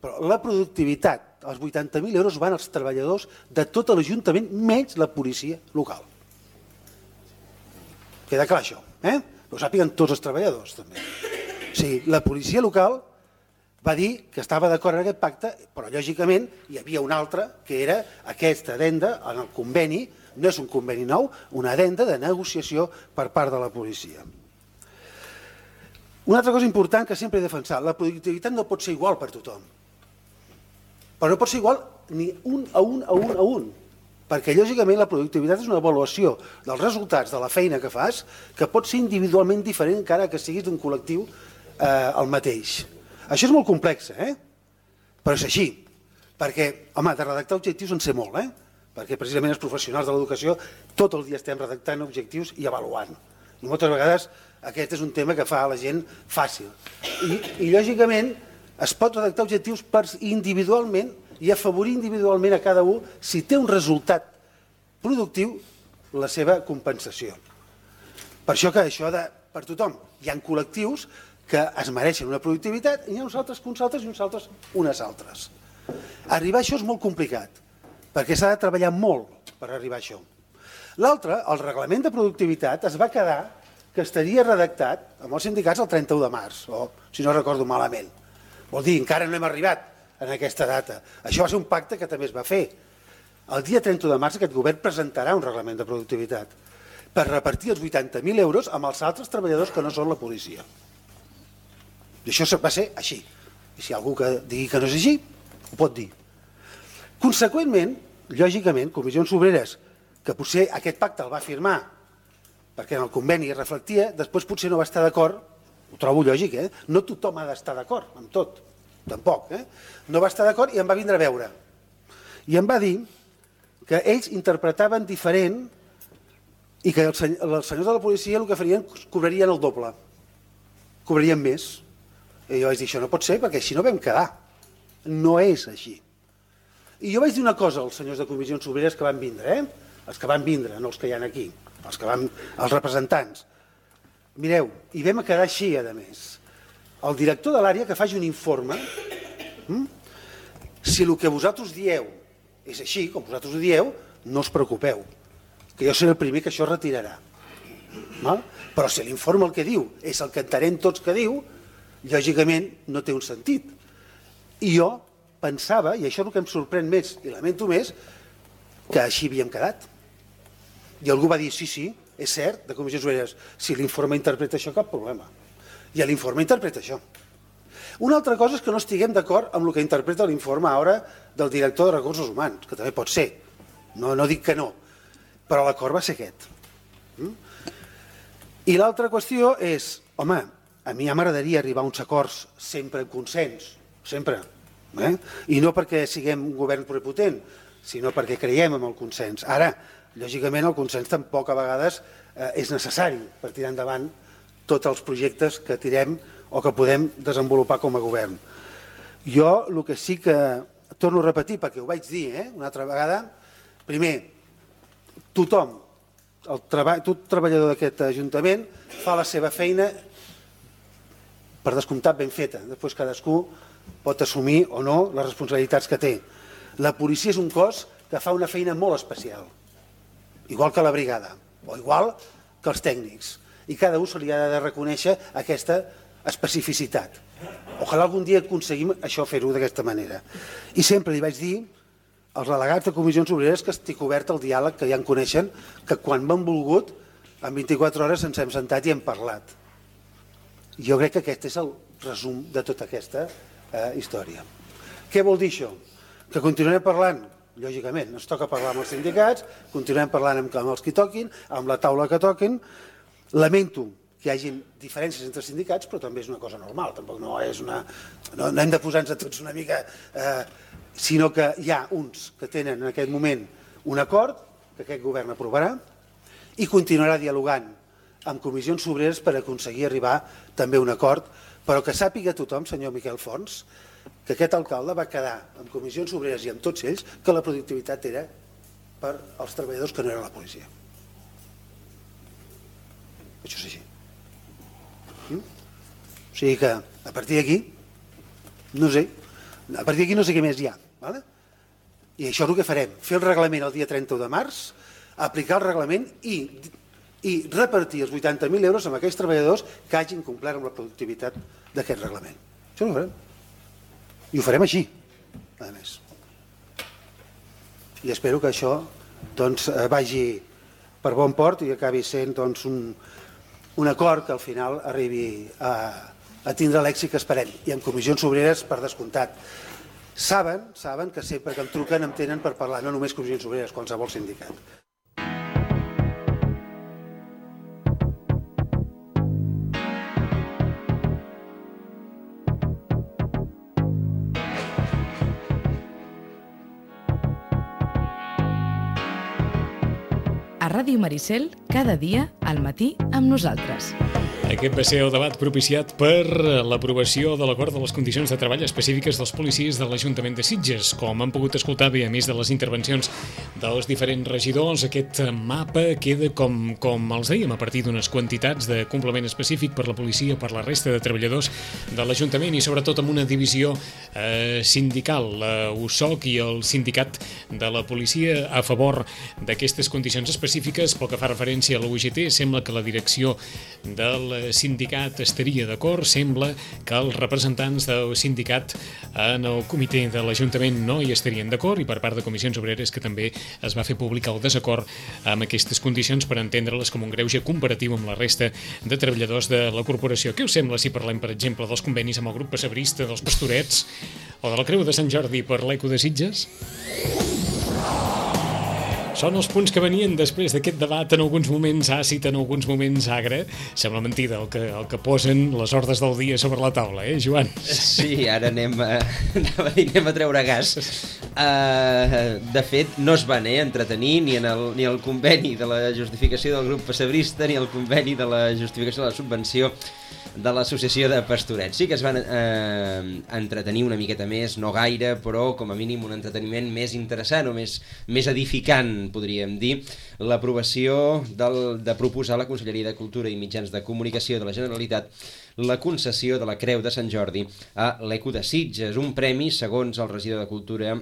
però la productivitat, els vuitanta mil euros van als treballadors de tot l'Ajuntament, menys la policia local. Queda clar això, eh? Ho sàpiguen tots els treballadors, també. O sigui, la policia local va dir que estava d'acord en aquest pacte, però lògicament hi havia una altra, que era aquesta addenda en el conveni, no és un conveni nou, una addenda de negociació per part de la policia. Una altra cosa important que sempre he defensat, la productivitat no pot ser igual per tothom, però no pot ser igual ni un a un a un a un, perquè lògicament la productivitat és una avaluació dels resultats de la feina que fas que pot ser individualment diferent encara que siguis d'un col·lectiu eh, el mateix. Això és molt complex, eh? Però és així, perquè, home, de redactar objectius en sé molt, eh? Perquè precisament els professionals de l'educació tot el dia estem redactant objectius i avaluant. I moltes vegades aquest és un tema que fa a la gent fàcil. I, i lògicament, es pot redactar objectius per individualment i afavorir individualment a cada un, si té un resultat productiu, la seva compensació. Per això que això de per tothom. Hi ha col·lectius que es mereixen una productivitat i hi ha uns altres que uns altres i uns altres unes altres. Arribar a això és molt complicat, perquè s'ha de treballar molt per arribar a això. L'altre, el reglament de productivitat, es va quedar que estaria redactat amb els sindicats el trenta-u de març, o si no recordo malament. Vol dir, encara no hem arribat en aquesta data. Això va ser un pacte que també es va fer. El dia trenta de març aquest govern presentarà un reglament de productivitat per repartir els vuitanta mil euros amb els altres treballadors que no són la policia. I això va ser així. I si hi ha algú que digui que no és així, ho pot dir. Conseqüentment, lògicament, comissions obreres, que potser aquest pacte el va firmar perquè en el conveni es reflectia, després potser no va estar d'acord, ho trobo lògic, eh? No tothom ha d'estar d'acord amb tot. tampoc, eh? No va estar d'acord i em va vindre a veure. I em va dir que ells interpretaven diferent i que els senyors de la policia el que farien cobrarien el doble, cobrarien més. I jo vaig dir, això no pot ser perquè així no vam quedar, no és així. I jo vaig dir una cosa als senyors de comissions obreres que van vindre, eh? Els que van vindre, no els que hi ha aquí, els, que van, els representants. Mireu, i vam quedar així, a més. El director de l'àrea que faci un informe, hm? Si el que vosaltres dieu és així, com vosaltres ho dieu, no us preocupeu, que jo seré el primer que això retirarà. Val? Però si l'informe el que diu és el que entenem tots que diu, lògicament no té un sentit. I jo pensava, i això és el que em sorprèn més i lamento més, que així havíem quedat. I algú va dir, sí, sí, és cert, de comissions obreres, si l'informe interpreta això, cap problema. I l'informe interpreta això. Una altra cosa és que no estiguem d'acord amb el que interpreta l'informe ara del director de Recursos Humans, que també pot ser, no, no dic que no, però l'acord va ser aquest. I l'altra qüestió és, home, a mi ja m'agradaria arribar a uns acords sempre en consens, sempre, eh? I no perquè siguem un govern prepotent, sinó perquè creiem en el consens. Ara, lògicament, el consens tampoc a vegades eh, és necessari per tirar endavant tots els projectes que tirem o que podem desenvolupar com a govern. Jo el que sí que torno a repetir, perquè ho vaig dir eh, una altra vegada, primer, tothom, el treball, tot treballador d'aquest Ajuntament fa la seva feina per descomptat ben feta. Després cadascú pot assumir o no les responsabilitats que té. La policia és un cos que fa una feina molt especial, igual que la brigada, o igual que els tècnics, i cada un se li ha de reconèixer aquesta especificitat. Ojalà algun dia aconseguim això, fer-ho d'aquesta manera. I sempre li vaig dir als delegats de comissions obreres que estic obert al diàleg, que ja en coneixen, que quan m'han volgut, en vint-i-quatre hores ens hem sentat i hem parlat. Jo crec que aquest és el resum de tota aquesta eh, història. Què vol dir això? Que continuarem parlant, lògicament, ens toca parlar amb els sindicats, continuarem parlant amb, amb els que toquin, amb la taula que toquin. Lamento que hi hagi diferències entre sindicats, però també és una cosa normal, tampoc no és una... No, no hem de posar-nos a tots una mica... Eh, sinó que hi ha uns que tenen en aquest moment un acord que aquest govern aprovarà i continuarà dialogant amb comissions obreres per aconseguir arribar també a un acord, però que sàpiga tothom, senyor Miquel Fons, que aquest alcalde va quedar amb comissions obreres i amb tots ells que la productivitat era per als treballadors que no eren la policia. Això és així. Mm? O sigui que a partir d'aquí, no sé, a partir d'aquí no sé què més hi ha. Vale? I això és el que farem, fer el reglament el dia trenta-u de març, aplicar el reglament i, i repartir els vuitanta mil euros amb aquells treballadors que hagin complert amb la productivitat d'aquest reglament. Això ho farem. I ho farem així, a més. I espero que això doncs, vagi per bon port i acabi sent doncs, un, un acord que al final arribi a, a tindre l'èxit que esperem. I en comissions obreres, per descomptat, saben, saben que sempre que em truquen em tenen per parlar, no només comissions obreres, qualsevol sindicat. A Ràdio Maricel, cada dia, al matí, amb nosaltres. Aquest va ser el debat propiciat per l'aprovació de l'acord de les condicions de treball específiques dels policies de l'Ajuntament de Sitges. Com han pogut escoltar bé, a més de les intervencions dels diferents regidors, aquest mapa queda, com, com els dèiem, a partir d'unes quantitats de complement específic per la policia, per la resta de treballadors de l'Ajuntament i sobretot amb una divisió eh, sindical, la U S O C i el sindicat de la policia a favor d'aquestes condicions específiques. Pel que fa referència a la U G T, sembla que la direcció del sindicat estaria d'acord, sembla que els representants del sindicat en el comitè de l'Ajuntament no hi estarien d'acord i per part de comissions obreres que també es va fer públic el desacord amb aquestes condicions per entendre-les com un greuge comparatiu amb la resta de treballadors de la corporació. Què us sembla si parlem, per exemple, dels convenis amb el grup pessebrista, dels Pastorets o de la Creu de Sant Jordi per l'Eco de Sitges? Són els punts que venien després d'aquest debat, en alguns moments àcid, en alguns moments agre. Sembla mentida el que, el que posen les ordres del dia sobre la taula, eh, Joan? Sí, ara anem a, anem a treure gas. Uh, de fet, no es van eh, entretenir ni en el, ni el conveni de la justificació del grup pessebrista ni el conveni de la justificació de la subvenció de l'associació de Pastorets. Sí que es van eh, entretenir una miqueta més, no gaire, però com a mínim un entreteniment més interessant o més, més edificant, podríem dir, l'aprovació del, de proposar a la Conselleria de Cultura i Mitjans de Comunicació de la Generalitat la concessió de la Creu de Sant Jordi a l'Eco de Sitges, un premi, segons el regidor de Cultura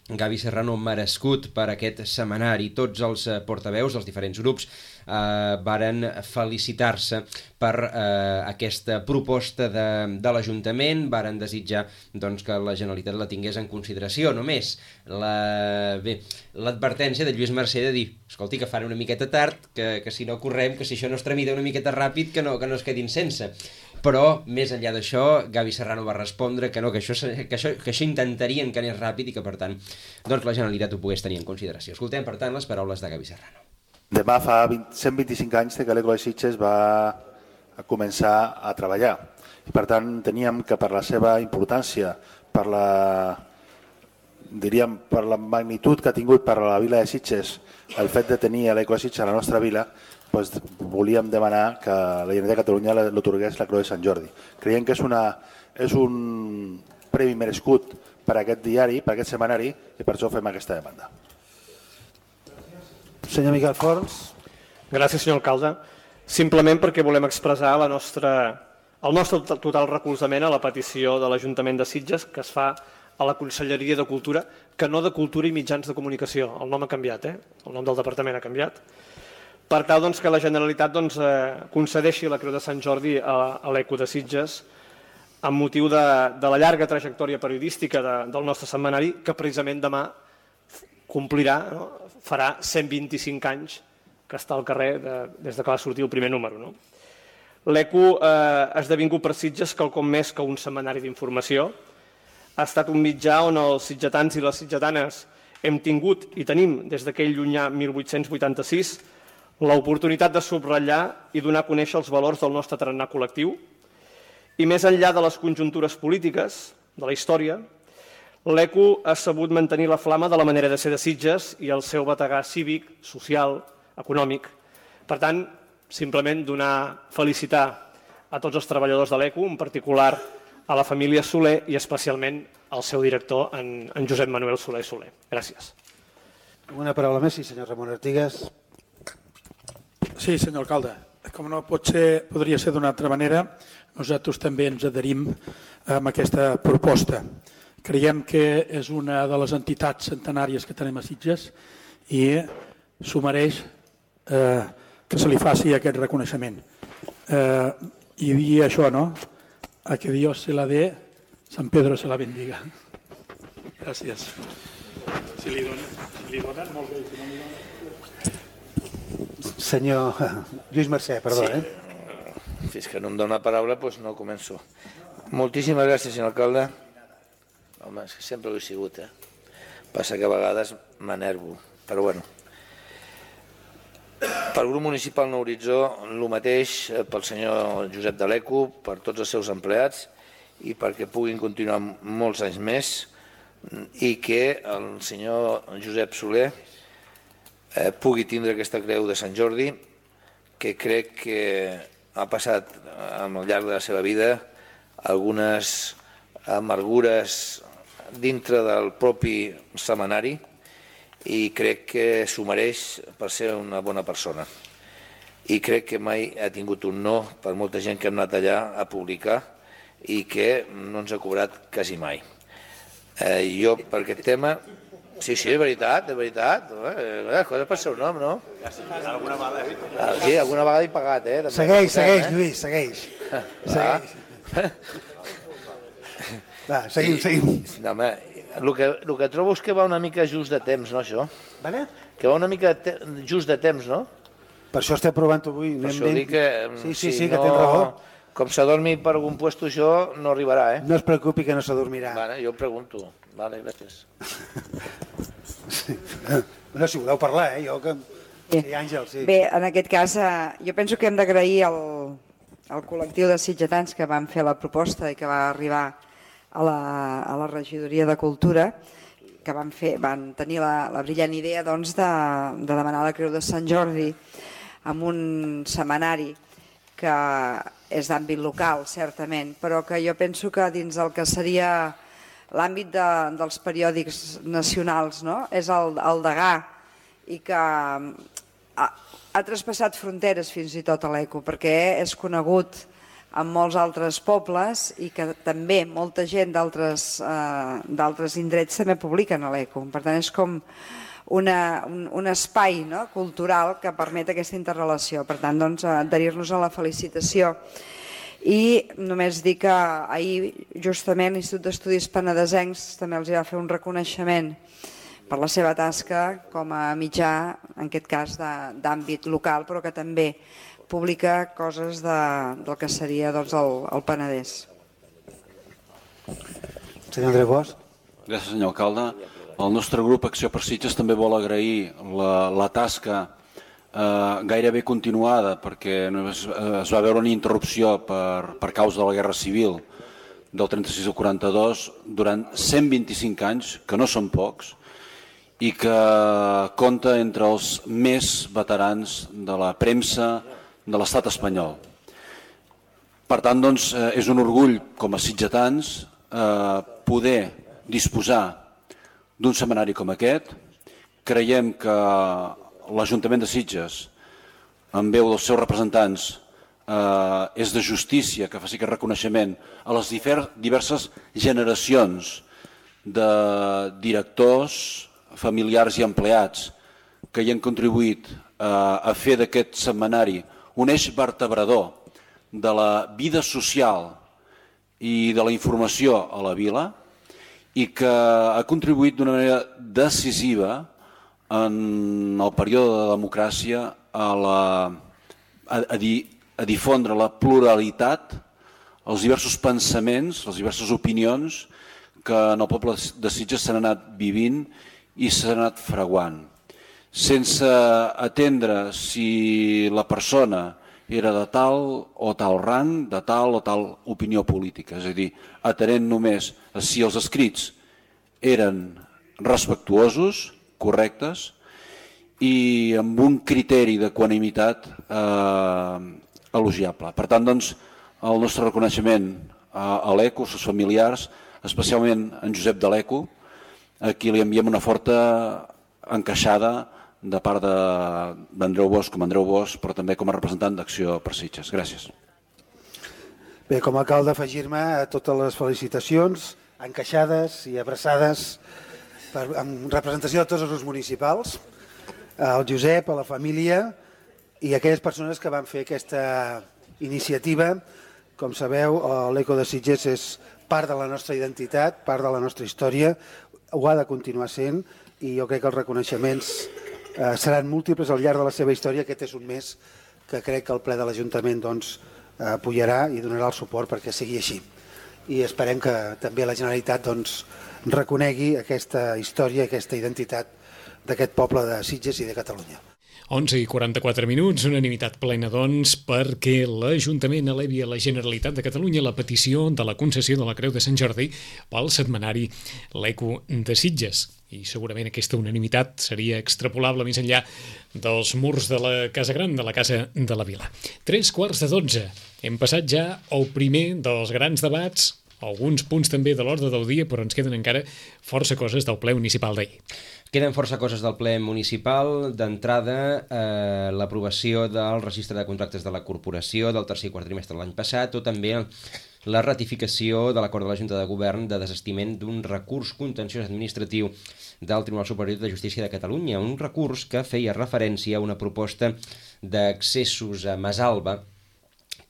Gavi Serrano, merescut per aquest setmanari. Tots els portaveus dels diferents grups eh, varen felicitar-se per eh, aquesta proposta de, de l'Ajuntament, varen desitjar doncs, que la Generalitat la tingués en consideració. Només la, bé, l'advertència de Lluís Mercè de dir, escolti, que fan una miqueta tard, que, que si no correm, que si això no es tramita una miqueta ràpid, que no, que no es quedin sense. Però, més enllà d'això, Gavi Serrano va respondre que no, que això, que això, que això intentarien que anés ràpid i que, per tant, doncs la Generalitat ho pogués tenir en consideració. Escoltem, per tant, les paraules de Gavi Serrano. Demà fa cent vint-i-cinc anys que l'Eco de Sitges va a començar a treballar. I, per tant, teníem que per la seva importància, per la, diríem, per la magnitud que ha tingut per a la vila de Sitges el fet de tenir l'Eco de Sitges a la nostra vila, doncs volíem demanar que la Generalitat de Catalunya l'atorgués la Creu de Sant Jordi. Creiem que és, una, és un premi merescut per a aquest diari, per a aquest setmanari, i per això fem aquesta demanda. Senyor Miquel Forns. Gràcies, senyor alcalde. Simplement perquè volem expressar la nostra, el nostre total recolzament a la petició de l'Ajuntament de Sitges que es fa a la Conselleria de Cultura, que no de Cultura i Mitjans de Comunicació. El nom ha canviat, eh? El nom del departament ha canviat. Per tal doncs, que la Generalitat doncs, eh, concedeixi la Creu de Sant Jordi a, a l'Eco de Sitges amb motiu de, de la llarga trajectòria periodística de, del nostre setmanari, que precisament demà complirà, no? Farà cent vint-i-cinc anys que està al carrer de, des de que va sortir el primer número. No? L'Eco eh, ha esdevingut per Sitges quelcom més que un setmanari d'informació. Ha estat un mitjà on els sitgetans i les sitgetanes hem tingut i tenim des d'aquell llunyà mil vuit-cents vuitanta-sis l'oportunitat de subratllar i donar a conèixer els valors del nostre tarannà col·lectiu i més enllà de les conjuntures polítiques, de la història, l'Eco ha sabut mantenir la flama de la manera de ser de Sitges i el seu bategar cívic, social, econòmic. Per tant, simplement donar, felicitar a tots els treballadors de l'Eco, en particular a la família Soler i especialment al seu director, en, en Josep Manuel Soler Soler. Gràcies. Una paraula més, sí, senyor Ramon Artigas. Sí, senyor alcalde. Com no pot ser, podria ser d'una altra manera, nosaltres també ens adherim amb aquesta proposta. Creiem que és una de les entitats centenàries que tenim a Sitges i s'ho mereix eh, que se li faci aquest reconeixement. Eh, I dir això, no? A que Dios se la dé, San Pedro se la bendiga. Gràcies. Si li donen, si li donen molt bé, si no li donen... Senyor Lluís Mercè, perdó. Sí. Eh? Fins que no em dona la paraula, doncs no començo. Moltíssimes gràcies, senyor alcalde. Home, és que sempre ho he sigut, eh? Passa que a vegades m'enervo, però bueno. Pel grup municipal Nou Horitzó, el mateix pel senyor Josep de l'Eco, per tots els seus empleats i perquè puguin continuar molts anys més i que el senyor Josep Soler Eh, pugui tindre aquesta creu de Sant Jordi, que crec que ha passat al llarg de la seva vida algunes amargures dintre del propi setmanari i crec que s'ho mereix per ser una bona persona. I crec que mai ha tingut un no per molta gent que hem anat allà a publicar i que no ens ha cobrat quasi mai. Eh, jo, per aquest tema... Sí, sí, de veritat, de veritat. Les coses per seu nom, no? Alguna vegada he pagat. Sí, alguna vegada he pagat, eh? Segueix, segueix, Lluís, segueix. Segueix. Va, seguim, seguim. No, home, el que, el que trobo és que va una mica just de temps, no, això? Vale? Que va una mica te just de temps, no? Per això estem provant avui. Per això dic que... Sí, sí, si sí, que no, tens raó. Com s'adormi per algun puesto, això no arribarà, eh? No es preocupi que no s'adormirà. Vale, jo pregunto. Vale, gràcies. No, si voleu parlar, eh? Jo que... Sí. Sí, Àngel, sí. Bé, en aquest cas, eh, jo penso que hem d'agrair al, al col·lectiu de sitgetans que van fer la proposta i que va arribar a la, a la regidoria de Cultura, que van, fer, van tenir la, la brillant idea doncs, de, de demanar la Creu de Sant Jordi amb un setmanari que és d'àmbit local, certament, però que jo penso que dins del que seria l'àmbit de, dels periòdics nacionals, no? És el, el degà, i que ha, ha traspassat fronteres fins i tot a l'Eco, perquè és conegut en molts altres pobles i que també molta gent d'altres eh, indrets també publiquen a l'Eco. Per tant, és com una, un, un espai, no?, cultural que permet aquesta interrelació. Per tant, doncs, adherir-nos a la felicitació. I només dir que ahir, justament, l'Institut d'Estudis Penedesencs també els va fer un reconeixement per la seva tasca com a mitjà, en aquest cas, d'àmbit local, però que també publica coses de, del que seria doncs, el, el Penedès. Senyor Andreu Bosch. Gràcies, senyor alcalde. El nostre grup Acció per Sitges també vol agrair la, la tasca eh, gairebé continuada, perquè es, es va veure una interrupció per, per causa de la Guerra Civil del trenta-sis al quaranta-dos durant cent vint-i-cinc anys, que no són pocs, i que compta entre els més veterans de la premsa de l'estat espanyol. Per tant, doncs, és un orgull com a sitgetans eh, poder disposar d'un setmanari com aquest. Creiem que l'Ajuntament de Sitges, en veu dels seus representants, eh, és de justícia que faci aquest reconeixement a les diverses generacions de directors, familiars i empleats que hi han contribuït eh, a fer d'aquest setmanari un eix vertebrador de la vida social i de la informació a la vila i que ha contribuït d'una manera decisiva en el període de democràcia a, la, a, a, di, a difondre la pluralitat, els diversos pensaments, les diverses opinions que en el poble de Sitges s'han anat vivint i s'ha anat fraguant, sense atendre si la persona era de tal o tal rang, de tal o tal opinió política. És a dir, atenent només a si els escrits eren respectuosos, correctes, i amb un criteri d'equanimitat eh, elogiable. Per tant, doncs, el nostre reconeixement a, a l'Eco, als seus familiars, especialment en Josep de l'Eco, a qui li enviem una forta encaixada de part d'Andreu Bosch com a Andreu Bosch, però també com a representant d'Acció per Sitges. Gràcies. Bé, com a alcalde, afegir-me a totes les felicitacions, encaixades i abraçades per, en representació de tots els grups municipals, al Josep, a la família i a aquelles persones que van fer aquesta iniciativa. Com sabeu, l'Eco de Sitges és part de la nostra identitat, part de la nostra història, ho ha de continuar sent i jo crec que els reconeixements eh, seran múltiples al llarg de la seva història. Aquest és un mes que crec que el ple de l'Ajuntament doncs, apoyarà i donarà el suport perquè sigui així. I esperem que també la Generalitat doncs, reconegui aquesta història, aquesta identitat d'aquest poble de Sitges i de Catalunya. onze i quaranta-quatre minuts, unanimitat plena, doncs, perquè l'Ajuntament elevi a la Generalitat de Catalunya la petició de la concessió de la Creu de Sant Jordi pel setmanari l'Eco de Sitges. I segurament aquesta unanimitat seria extrapolable més enllà dels murs de la Casa Gran, de la Casa de la Vila. Tres quarts de dotze. Hem passat ja al primer dels grans debats, alguns punts també de l'ordre del dia, però ens queden encara força coses del ple municipal d'ahir. Queden força coses del ple municipal. D'entrada, eh, l'aprovació del registre de contractes de la corporació del tercer i quart trimestre de l'any passat, o també la ratificació de l'acord de la Junta de Govern de desestiment d'un recurs contenciós administratiu del Tribunal Superior de Justícia de Catalunya, un recurs que feia referència a una proposta d'accessos a Masalba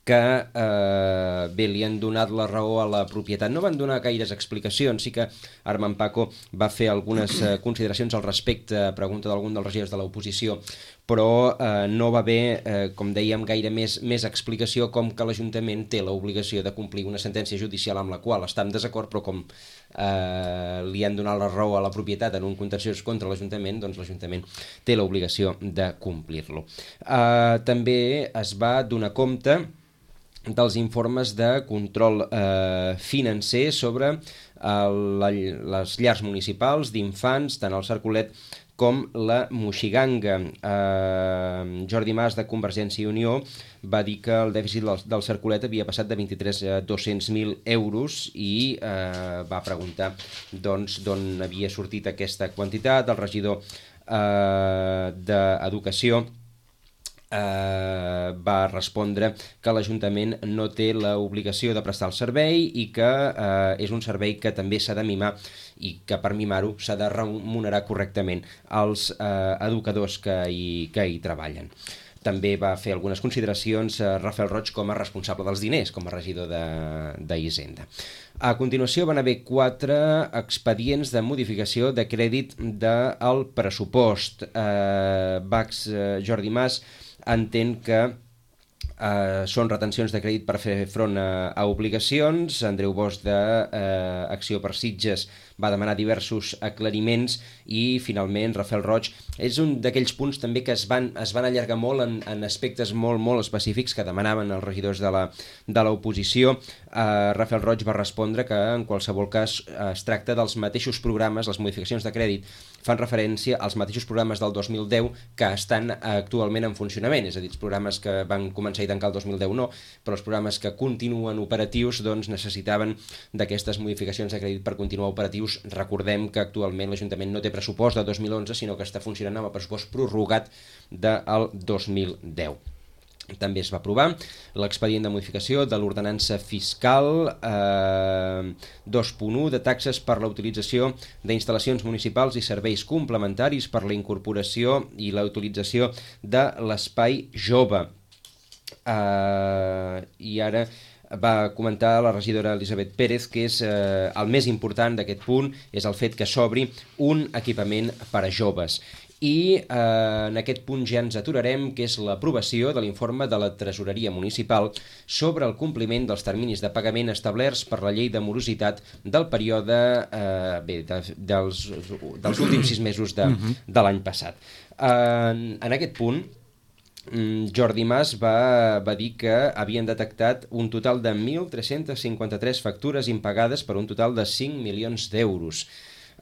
que eh, bé, li han donat la raó a la propietat. No van donar gaires explicacions, sí que Armand Paco va fer algunes eh, consideracions al respecte a pregunta d'algun dels regidors de l'oposició, però eh, no va haver, eh, com dèiem, gaire més, més explicació, com que l'Ajuntament té l'obligació de complir una sentència judicial amb la qual està en desacord, però com eh, li han donat la raó a la propietat en un contenciós contra l'Ajuntament, doncs l'Ajuntament té l'obligació de complir-lo. Eh, també es va donar compte dels informes de control eh, financer sobre eh, la, les llars municipals d'infants, tant el Cercolet com la Moixiganga. Eh, Jordi Mas, de Convergència i Unió, va dir que el dèficit del, del Cercolet havia passat de vint-i-tres a dos-cents mil euros i eh, va preguntar doncs, d'on havia sortit aquesta quantitat. El regidor eh, d'Educació Eh, va respondre que l'Ajuntament no té l'obligació de prestar el servei i que eh, és un servei que també s'ha de mimar i que per mimar-ho s'ha de remunerar correctament als eh, educadors que hi, que hi treballen. També va fer algunes consideracions a Rafael Roig com a responsable dels diners, com a regidor d'Hisenda. A continuació van haver quatre expedients de modificació de crèdit del pressupost. Eh, Bax eh, Jordi Mas entén que eh, són retencions de crèdit per fer front a, a obligacions. Andreu Bosch, d'Acció eh, per Sitges, va demanar diversos aclariments i finalment Rafael Roig és un d'aquells punts també que es van, es van allargar molt en, en aspectes molt, molt específics que demanaven els regidors de la, de l'oposició. Eh, Rafael Roig va respondre que en qualsevol cas eh, es tracta dels mateixos programes, les modificacions de crèdit fan referència als mateixos programes del dos mil deu que estan actualment en funcionament, és a dir, els programes que van començar i tancar el dos mil deu no, però els programes que continuen operatius doncs necessitaven d'aquestes modificacions de crèdit per continuar operatius. Recordem que actualment l'Ajuntament no té pressupost de dos mil onze, sinó que està funcionant amb el pressupost prorrogat del dos mil deu. També es va aprovar l'expedient de modificació de l'ordenança fiscal eh, dos punt u de taxes per la utilització d'instal·lacions municipals i serveis complementaris per la incorporació i la utilització de l'espai jove. Eh, I ara va comentar la regidora Elisabet Pérez que és eh, el més important d'aquest punt és el fet que s'obri un equipament per a joves. I eh, en aquest punt ja ens aturarem, que és l'aprovació de l'informe de la Tresoreria Municipal sobre el compliment dels terminis de pagament establerts per la llei de morositat del període eh, bé, de, dels, dels últims sis mesos de, de l'any passat. Eh, en aquest punt, Jordi Mas va, va dir que havien detectat un total de mil tres-cents cinquanta-tres factures impagades per un total de cinc milions d'euros.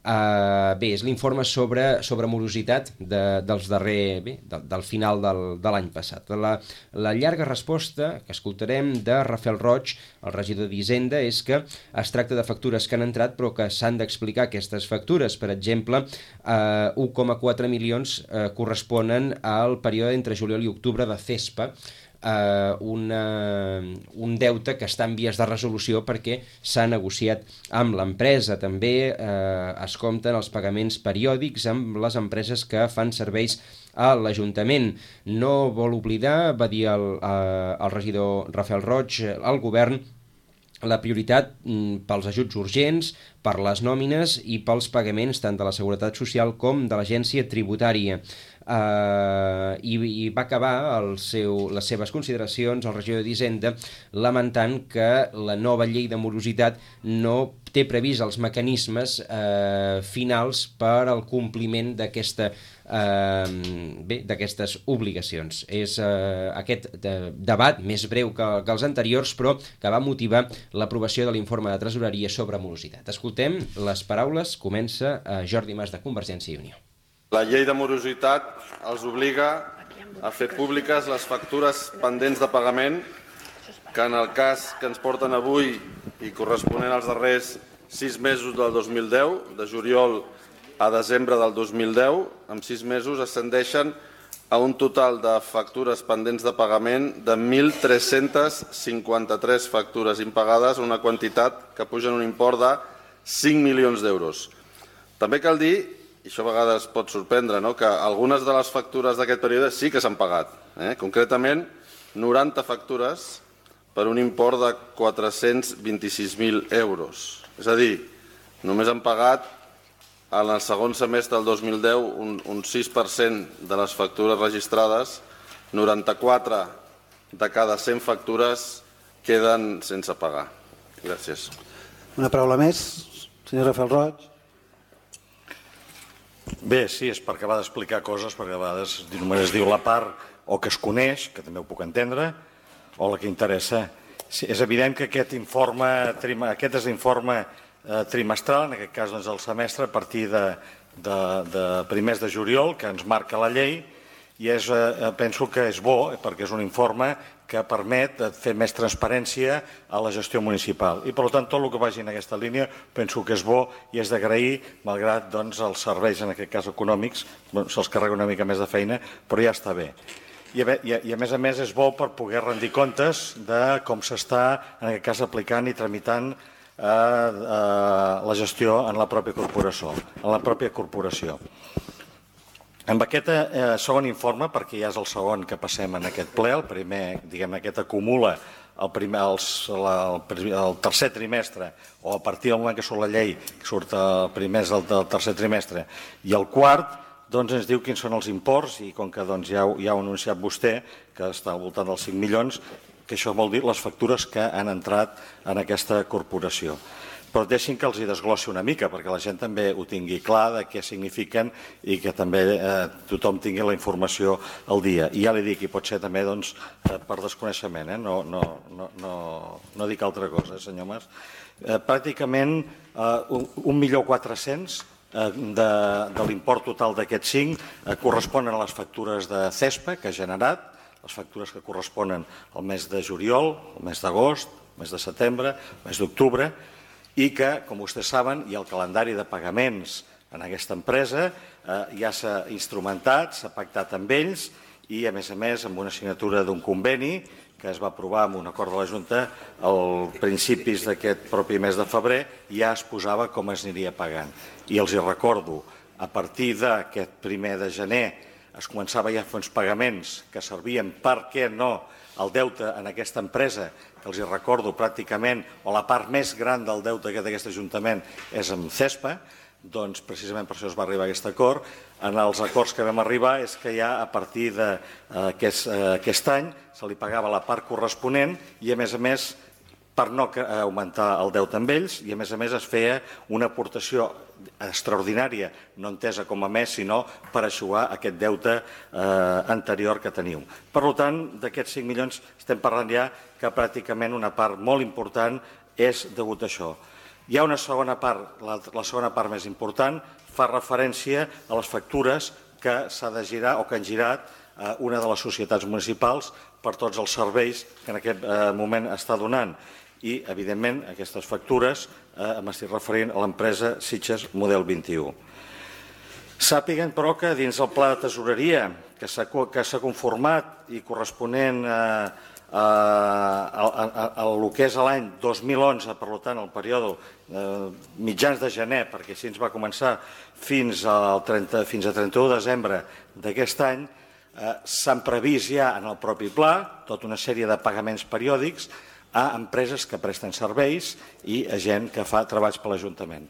Uh, bé, és l'informe sobre, sobre morositat de, dels darrer, bé, de, del final del, de l'any passat. La, la llarga resposta que escoltarem de Rafael Roig, el regidor d'Hisenda, és que es tracta de factures que han entrat però que s'han d'explicar aquestes factures. Per exemple, uh, u coma quatre milions uh, corresponen al període entre juliol i octubre de CESPA, Uh, una, un deute que està en vies de resolució perquè s'ha negociat amb l'empresa. També uh, es compten els pagaments periòdics amb les empreses que fan serveis a l'Ajuntament. No vol oblidar, va dir el, uh, el regidor Rafael Roig, al govern, la prioritat mm, pels ajuts urgents, per les nòmines i pels pagaments tant de la Seguretat Social com de l'Agència Tributària. Uh, i, i va acabar el seu, les seves consideracions al regidor d'Hisenda lamentant que la nova llei de morositat no té previst els mecanismes uh, finals per al compliment d'aquesta uh, bé, d'aquestes obligacions. És uh, aquest de, debat més breu que, que els anteriors, però que va motivar l'aprovació de l'informe de tresoreria sobre morositat. Escoltem les paraules, comença uh, Jordi Mas, de Convergència i Unió. La llei de morositat els obliga a fer públiques les factures pendents de pagament que en el cas que ens porten avui i corresponent als darrers sis mesos del dos mil deu, de juliol a desembre del dos mil deu, en sis mesos ascendeixen a un total de factures pendents de pagament de mil tres-cents cinquanta-tres factures impagades, una quantitat que puja en un import de cinc milions d'euros. També cal dir, i això a vegades pot sorprendre, no?, que algunes de les factures d'aquest període sí que s'han pagat. Eh? Concretament, noranta factures per un import de quatre-cents vint-i-sis mil euros. És a dir, només han pagat en el segon semestre del dos mil deu un, un sis per cent de les factures registrades, noranta-quatre de cada cent factures queden sense pagar. Gràcies. Una paraula més, senyor Rafael Roig. Bé, sí, és per acabar d'explicar coses, perquè a vegades només es diu la part o que es coneix, que també ho puc entendre, o la que interessa. Sí, és evident que aquest informe, aquest és l'informe eh, trimestral, en aquest cas doncs, el semestre, a partir de, de, de primers de juliol, que ens marca la llei, i és, eh, penso que és bo, perquè és un informe que permet fer més transparència a la gestió municipal. I, per tant, tot el que vagi en aquesta línia penso que és bo i és d'agrair, malgrat doncs, els serveis, en aquest cas econòmics, bueno, se'ls carrega una mica més de feina, però ja està bé. I a, i, a, I, a més a més, és bo per poder rendir comptes de com s'està, en aquest cas, aplicant i tramitant eh, eh, la gestió en la pròpia corporació. En la pròpia corporació. Amb aquest eh, segon informe, perquè ja és el segon que passem en aquest ple, el primer, diguem, aquest acumula el, primer, els, la, el, el tercer trimestre, o a partir del moment que surt la llei, que surt el primer del, del tercer trimestre, i el quart, doncs ens diu quins són els imports, i com que doncs, ja, ja ho ha anunciat vostè, que està al voltant dels cinc milions, que això vol dir les factures que han entrat en aquesta corporació. Però deixin que els hi desglossi una mica, perquè la gent també ho tingui clar de què signifiquen i que també eh, tothom tingui la informació al dia. I ja li dic, i pot ser també doncs, eh, per desconeixement, eh? no, no, no, no, no dic altra cosa, eh, senyor Mas. Eh, pràcticament eh, un milió quatre-cents eh, de, de l'import total d'aquests cinc eh, corresponen a les factures de CESPA que ha generat, les factures que corresponen al mes de juliol, al mes d'agost, al mes de setembre, al mes d'octubre, i que, com vostès saben, hi ha el calendari de pagaments en aquesta empresa, eh, ja s'ha instrumentat, s'ha pactat amb ells i, a més a més, amb una signatura d'un conveni que es va aprovar amb un acord de la Junta als principis d'aquest propi mes de febrer, ja es posava com es aniria pagant. I els hi recordo, a partir d'aquest primer de gener es començava ja a fer uns pagaments que servien per què no el deute en aquesta empresa, que els hi recordo pràcticament, o la part més gran del deute d'aquest Ajuntament és amb CESPA, doncs precisament per això es va arribar a aquest acord. En els acords que vam arribar és que ja a partir d'aquest aquest any se li pagava la part corresponent i, a més a més, per no augmentar el deute amb ells, i a més a més es feia una aportació extraordinària, no entesa com a més, sinó per eixugar aquest deute eh, anterior que teniu. Per tant, d'aquests cinc milions estem parlant ja que pràcticament una part molt important és degut a això. Hi ha una segona part, la, la segona part més important, fa referència a les factures que s'ha de girar o que han girat eh, una de les societats municipals per tots els serveis que en aquest eh, moment està donant. I, evidentment, aquestes factures eh, m'estic referint a l'empresa Sitges Model vint-i-u. Sàpiguen, però, que dins el pla de tesoreria que s'ha conformat i corresponent a, a, a, a, a el que és l'any dos mil onze, per tant, el període eh, mitjans de gener, perquè així ens va començar fins, al trenta, fins a trenta-u de desembre d'aquest any, eh, s'han previst ja en el propi pla tota una sèrie de pagaments periòdics a empreses que presten serveis i a gent que fa treballs per l'Ajuntament.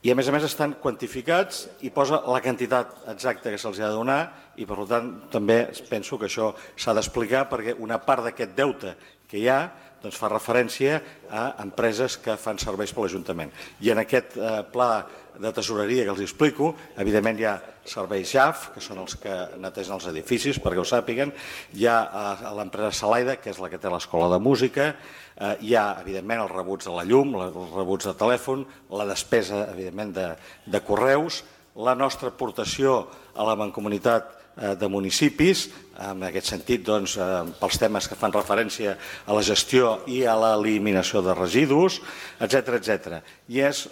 I, a més a més, estan quantificats i posa la quantitat exacta que se'ls ha de donar i, per tant, també penso que això s'ha d'explicar perquè una part d'aquest deute que hi ha doncs, fa referència a empreses que fan serveis per l'Ajuntament. I en aquest eh, pla de tesoreria que els explico, evidentment hi ha serveis J A F, que són els que netegen els edificis, perquè ho sàpiguen, hi ha eh, l'empresa Salaida, que és la que té l'escola de música, eh, hi ha, evidentment, els rebuts de la llum, els rebuts de telèfon, la despesa, evidentment, de, de correus, la nostra aportació a la mancomunitat de municipis, en aquest sentit, doncs, pels temes que fan referència a la gestió i a l'eliminació de residus, etcètera, etcètera. I és,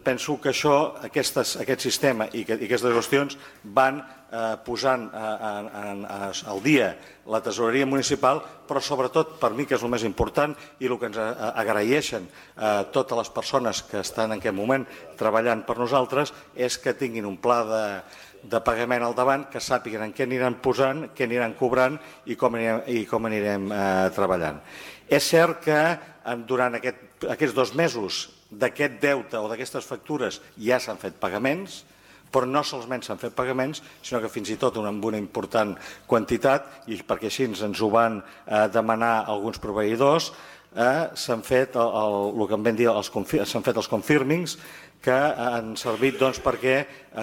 penso que això, aquestes, aquest sistema i, que, i aquestes qüestions van eh, posant eh, en, en, al dia la tesoreria municipal, però sobretot, per mi, que és el més important i el que ens agraeixen eh, totes les persones que estan en aquest moment treballant per nosaltres, és que tinguin un pla de de pagament al davant, que sàpiguen en què aniran posant, què aniran cobrant i com anirem, i com anirem eh, treballant. És cert que durant aquest, aquests dos mesos d'aquest deute o d'aquestes factures ja s'han fet pagaments, però no solament s'han fet pagaments, sinó que fins i tot amb una important quantitat, i perquè així ens ho van demanar alguns proveïdors, s'han fet el que en vam dir, s'han fet els confirmings, que han servit perquè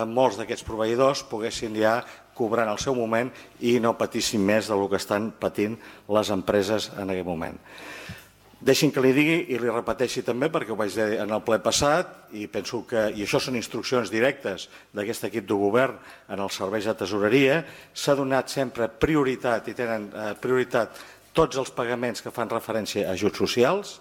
molts d'aquests proveïdors poguessin ja cobrar en el seu moment i no patissin més del que estan patint les empreses en aquest moment. Deixi'm que li digui i li repeteixi també, perquè ho vaig dir en el ple passat, i penso que, i això són instruccions directes d'aquest equip de govern en els serveis de tesoreria, s'ha donat sempre prioritat i tenen prioritat tots els pagaments que fan referència a ajuts socials,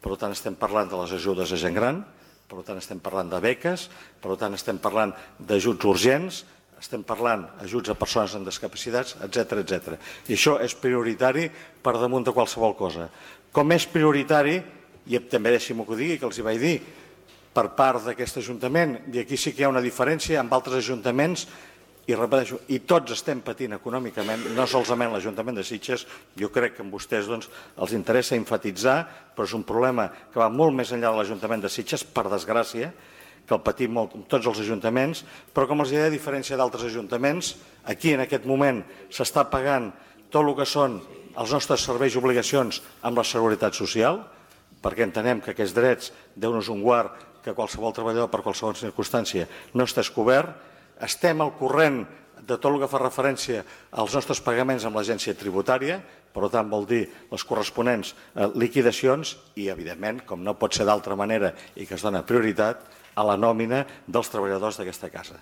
per tant estem parlant de les ajudes a gent gran, per tant estem parlant de beques, per tant estem parlant d'ajuts urgents, estem parlant d'ajuts a persones amb discapacitats, etcètera, etcètera. I això és prioritari per damunt de qualsevol cosa. Com és prioritari, i també deixi-m'ho que ho digui, que els hi vaig dir, per part d'aquest Ajuntament, i aquí sí que hi ha una diferència amb altres ajuntaments, i repeteixo, i tots estem patint econòmicament, no solament l'Ajuntament de Sitges, jo crec que a vostès els interessa enfatitzar, però és un problema que va molt més enllà de l'Ajuntament de Sitges, per desgràcia, que el patim molt tots els ajuntaments, però com els deia, a diferència d'altres ajuntaments, aquí en aquest moment s'està pagant tot el que són els nostres serveis i obligacions amb la Seguretat Social, perquè entenem que aquests drets, Déu-nos un guard, que qualsevol treballador per qualsevol circumstància no està cobert. Estem al corrent de tot el que fa referència als nostres pagaments amb l'agència tributària, per tant vol dir les corresponents liquidacions i, evidentment, com no pot ser d'altra manera i que es dona prioritat, a la nòmina dels treballadors d'aquesta casa.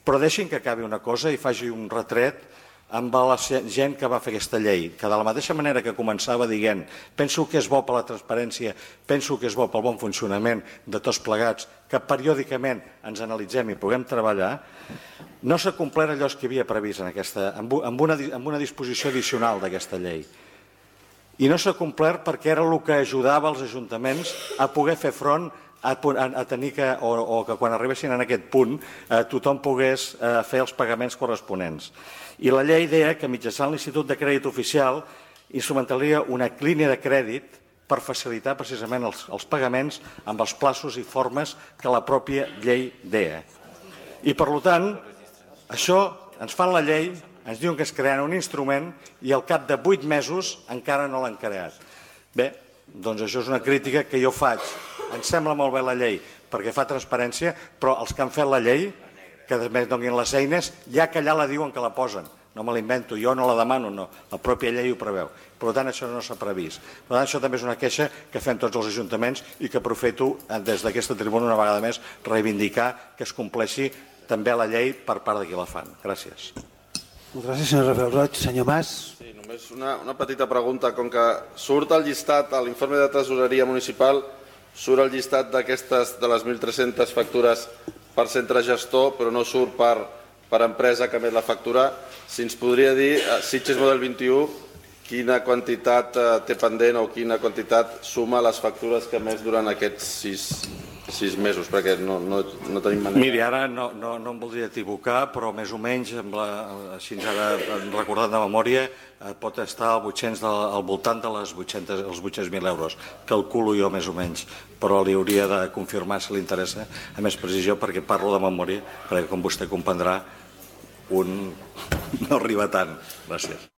Però deixin que acabi una cosa i faci un retret amb la gent que va fer aquesta llei, que de la mateixa manera que començava dient penso que és bo per la transparència, penso que és bo pel bon funcionament de tots plegats, que periòdicament ens analitzem i puguem treballar, no s'ha complert allò que hi havia previst en aquesta, amb una, amb una disposició addicional d'aquesta llei. I no s'ha complert perquè era el que ajudava els ajuntaments a poder fer front a, a tenir que, o, o que quan arribessin en aquest punt eh, tothom pogués eh, fer els pagaments corresponents. I la llei deia que mitjançant l'Institut de Crèdit Oficial instrumentaria una línia de crèdit per facilitar precisament els, els pagaments amb els plaços i formes que la pròpia llei deia. I per tant, això ens fan la llei, ens diuen que es crearà un instrument i al cap de vuit mesos encara no l'han creat. Bé, doncs això és una crítica que jo faig. Ens sembla molt bé la llei perquè fa transparència, però els que han fet la llei, que després donin les eines, ja que allà la diuen que la posen. No me l'invento, jo no la demano, no. La pròpia llei ho preveu. Per tant, això no s'ha previst. Per tant, això també és una queixa que fem tots els ajuntaments i que aprofito des d'aquesta tribuna una vegada més reivindicar que es compleixi també la llei per part de qui la fan. Gràcies. Moltes gràcies, senyor Rafael Roig. Senyor Mas. Sí, només una, una petita pregunta. Com que surt el llistat, a l'informe de tesoreria municipal, surt el llistat d'aquestes, de les mil tres-centes factures per centre gestor, però no surt per, per empresa que emet la factura. Si ens podria dir, Sitges Model vint-i-u, quina quantitat té pendent o quina quantitat suma les factures que emet durant aquests sis, sis mesos, perquè no, no, no tenim manera. Miri, ara no, no, no em voldria equivocar, però més o menys, amb la, així ara recordat de memòria, pot estar al, vuit-cents de, al voltant de les vuit-cents, els vuit-cents mil euros. Calculo jo més o menys, però li hauria de confirmar si li interessa a més precisió, perquè parlo de memòria, perquè com vostè comprendrà, un no arriba tant. Gràcies.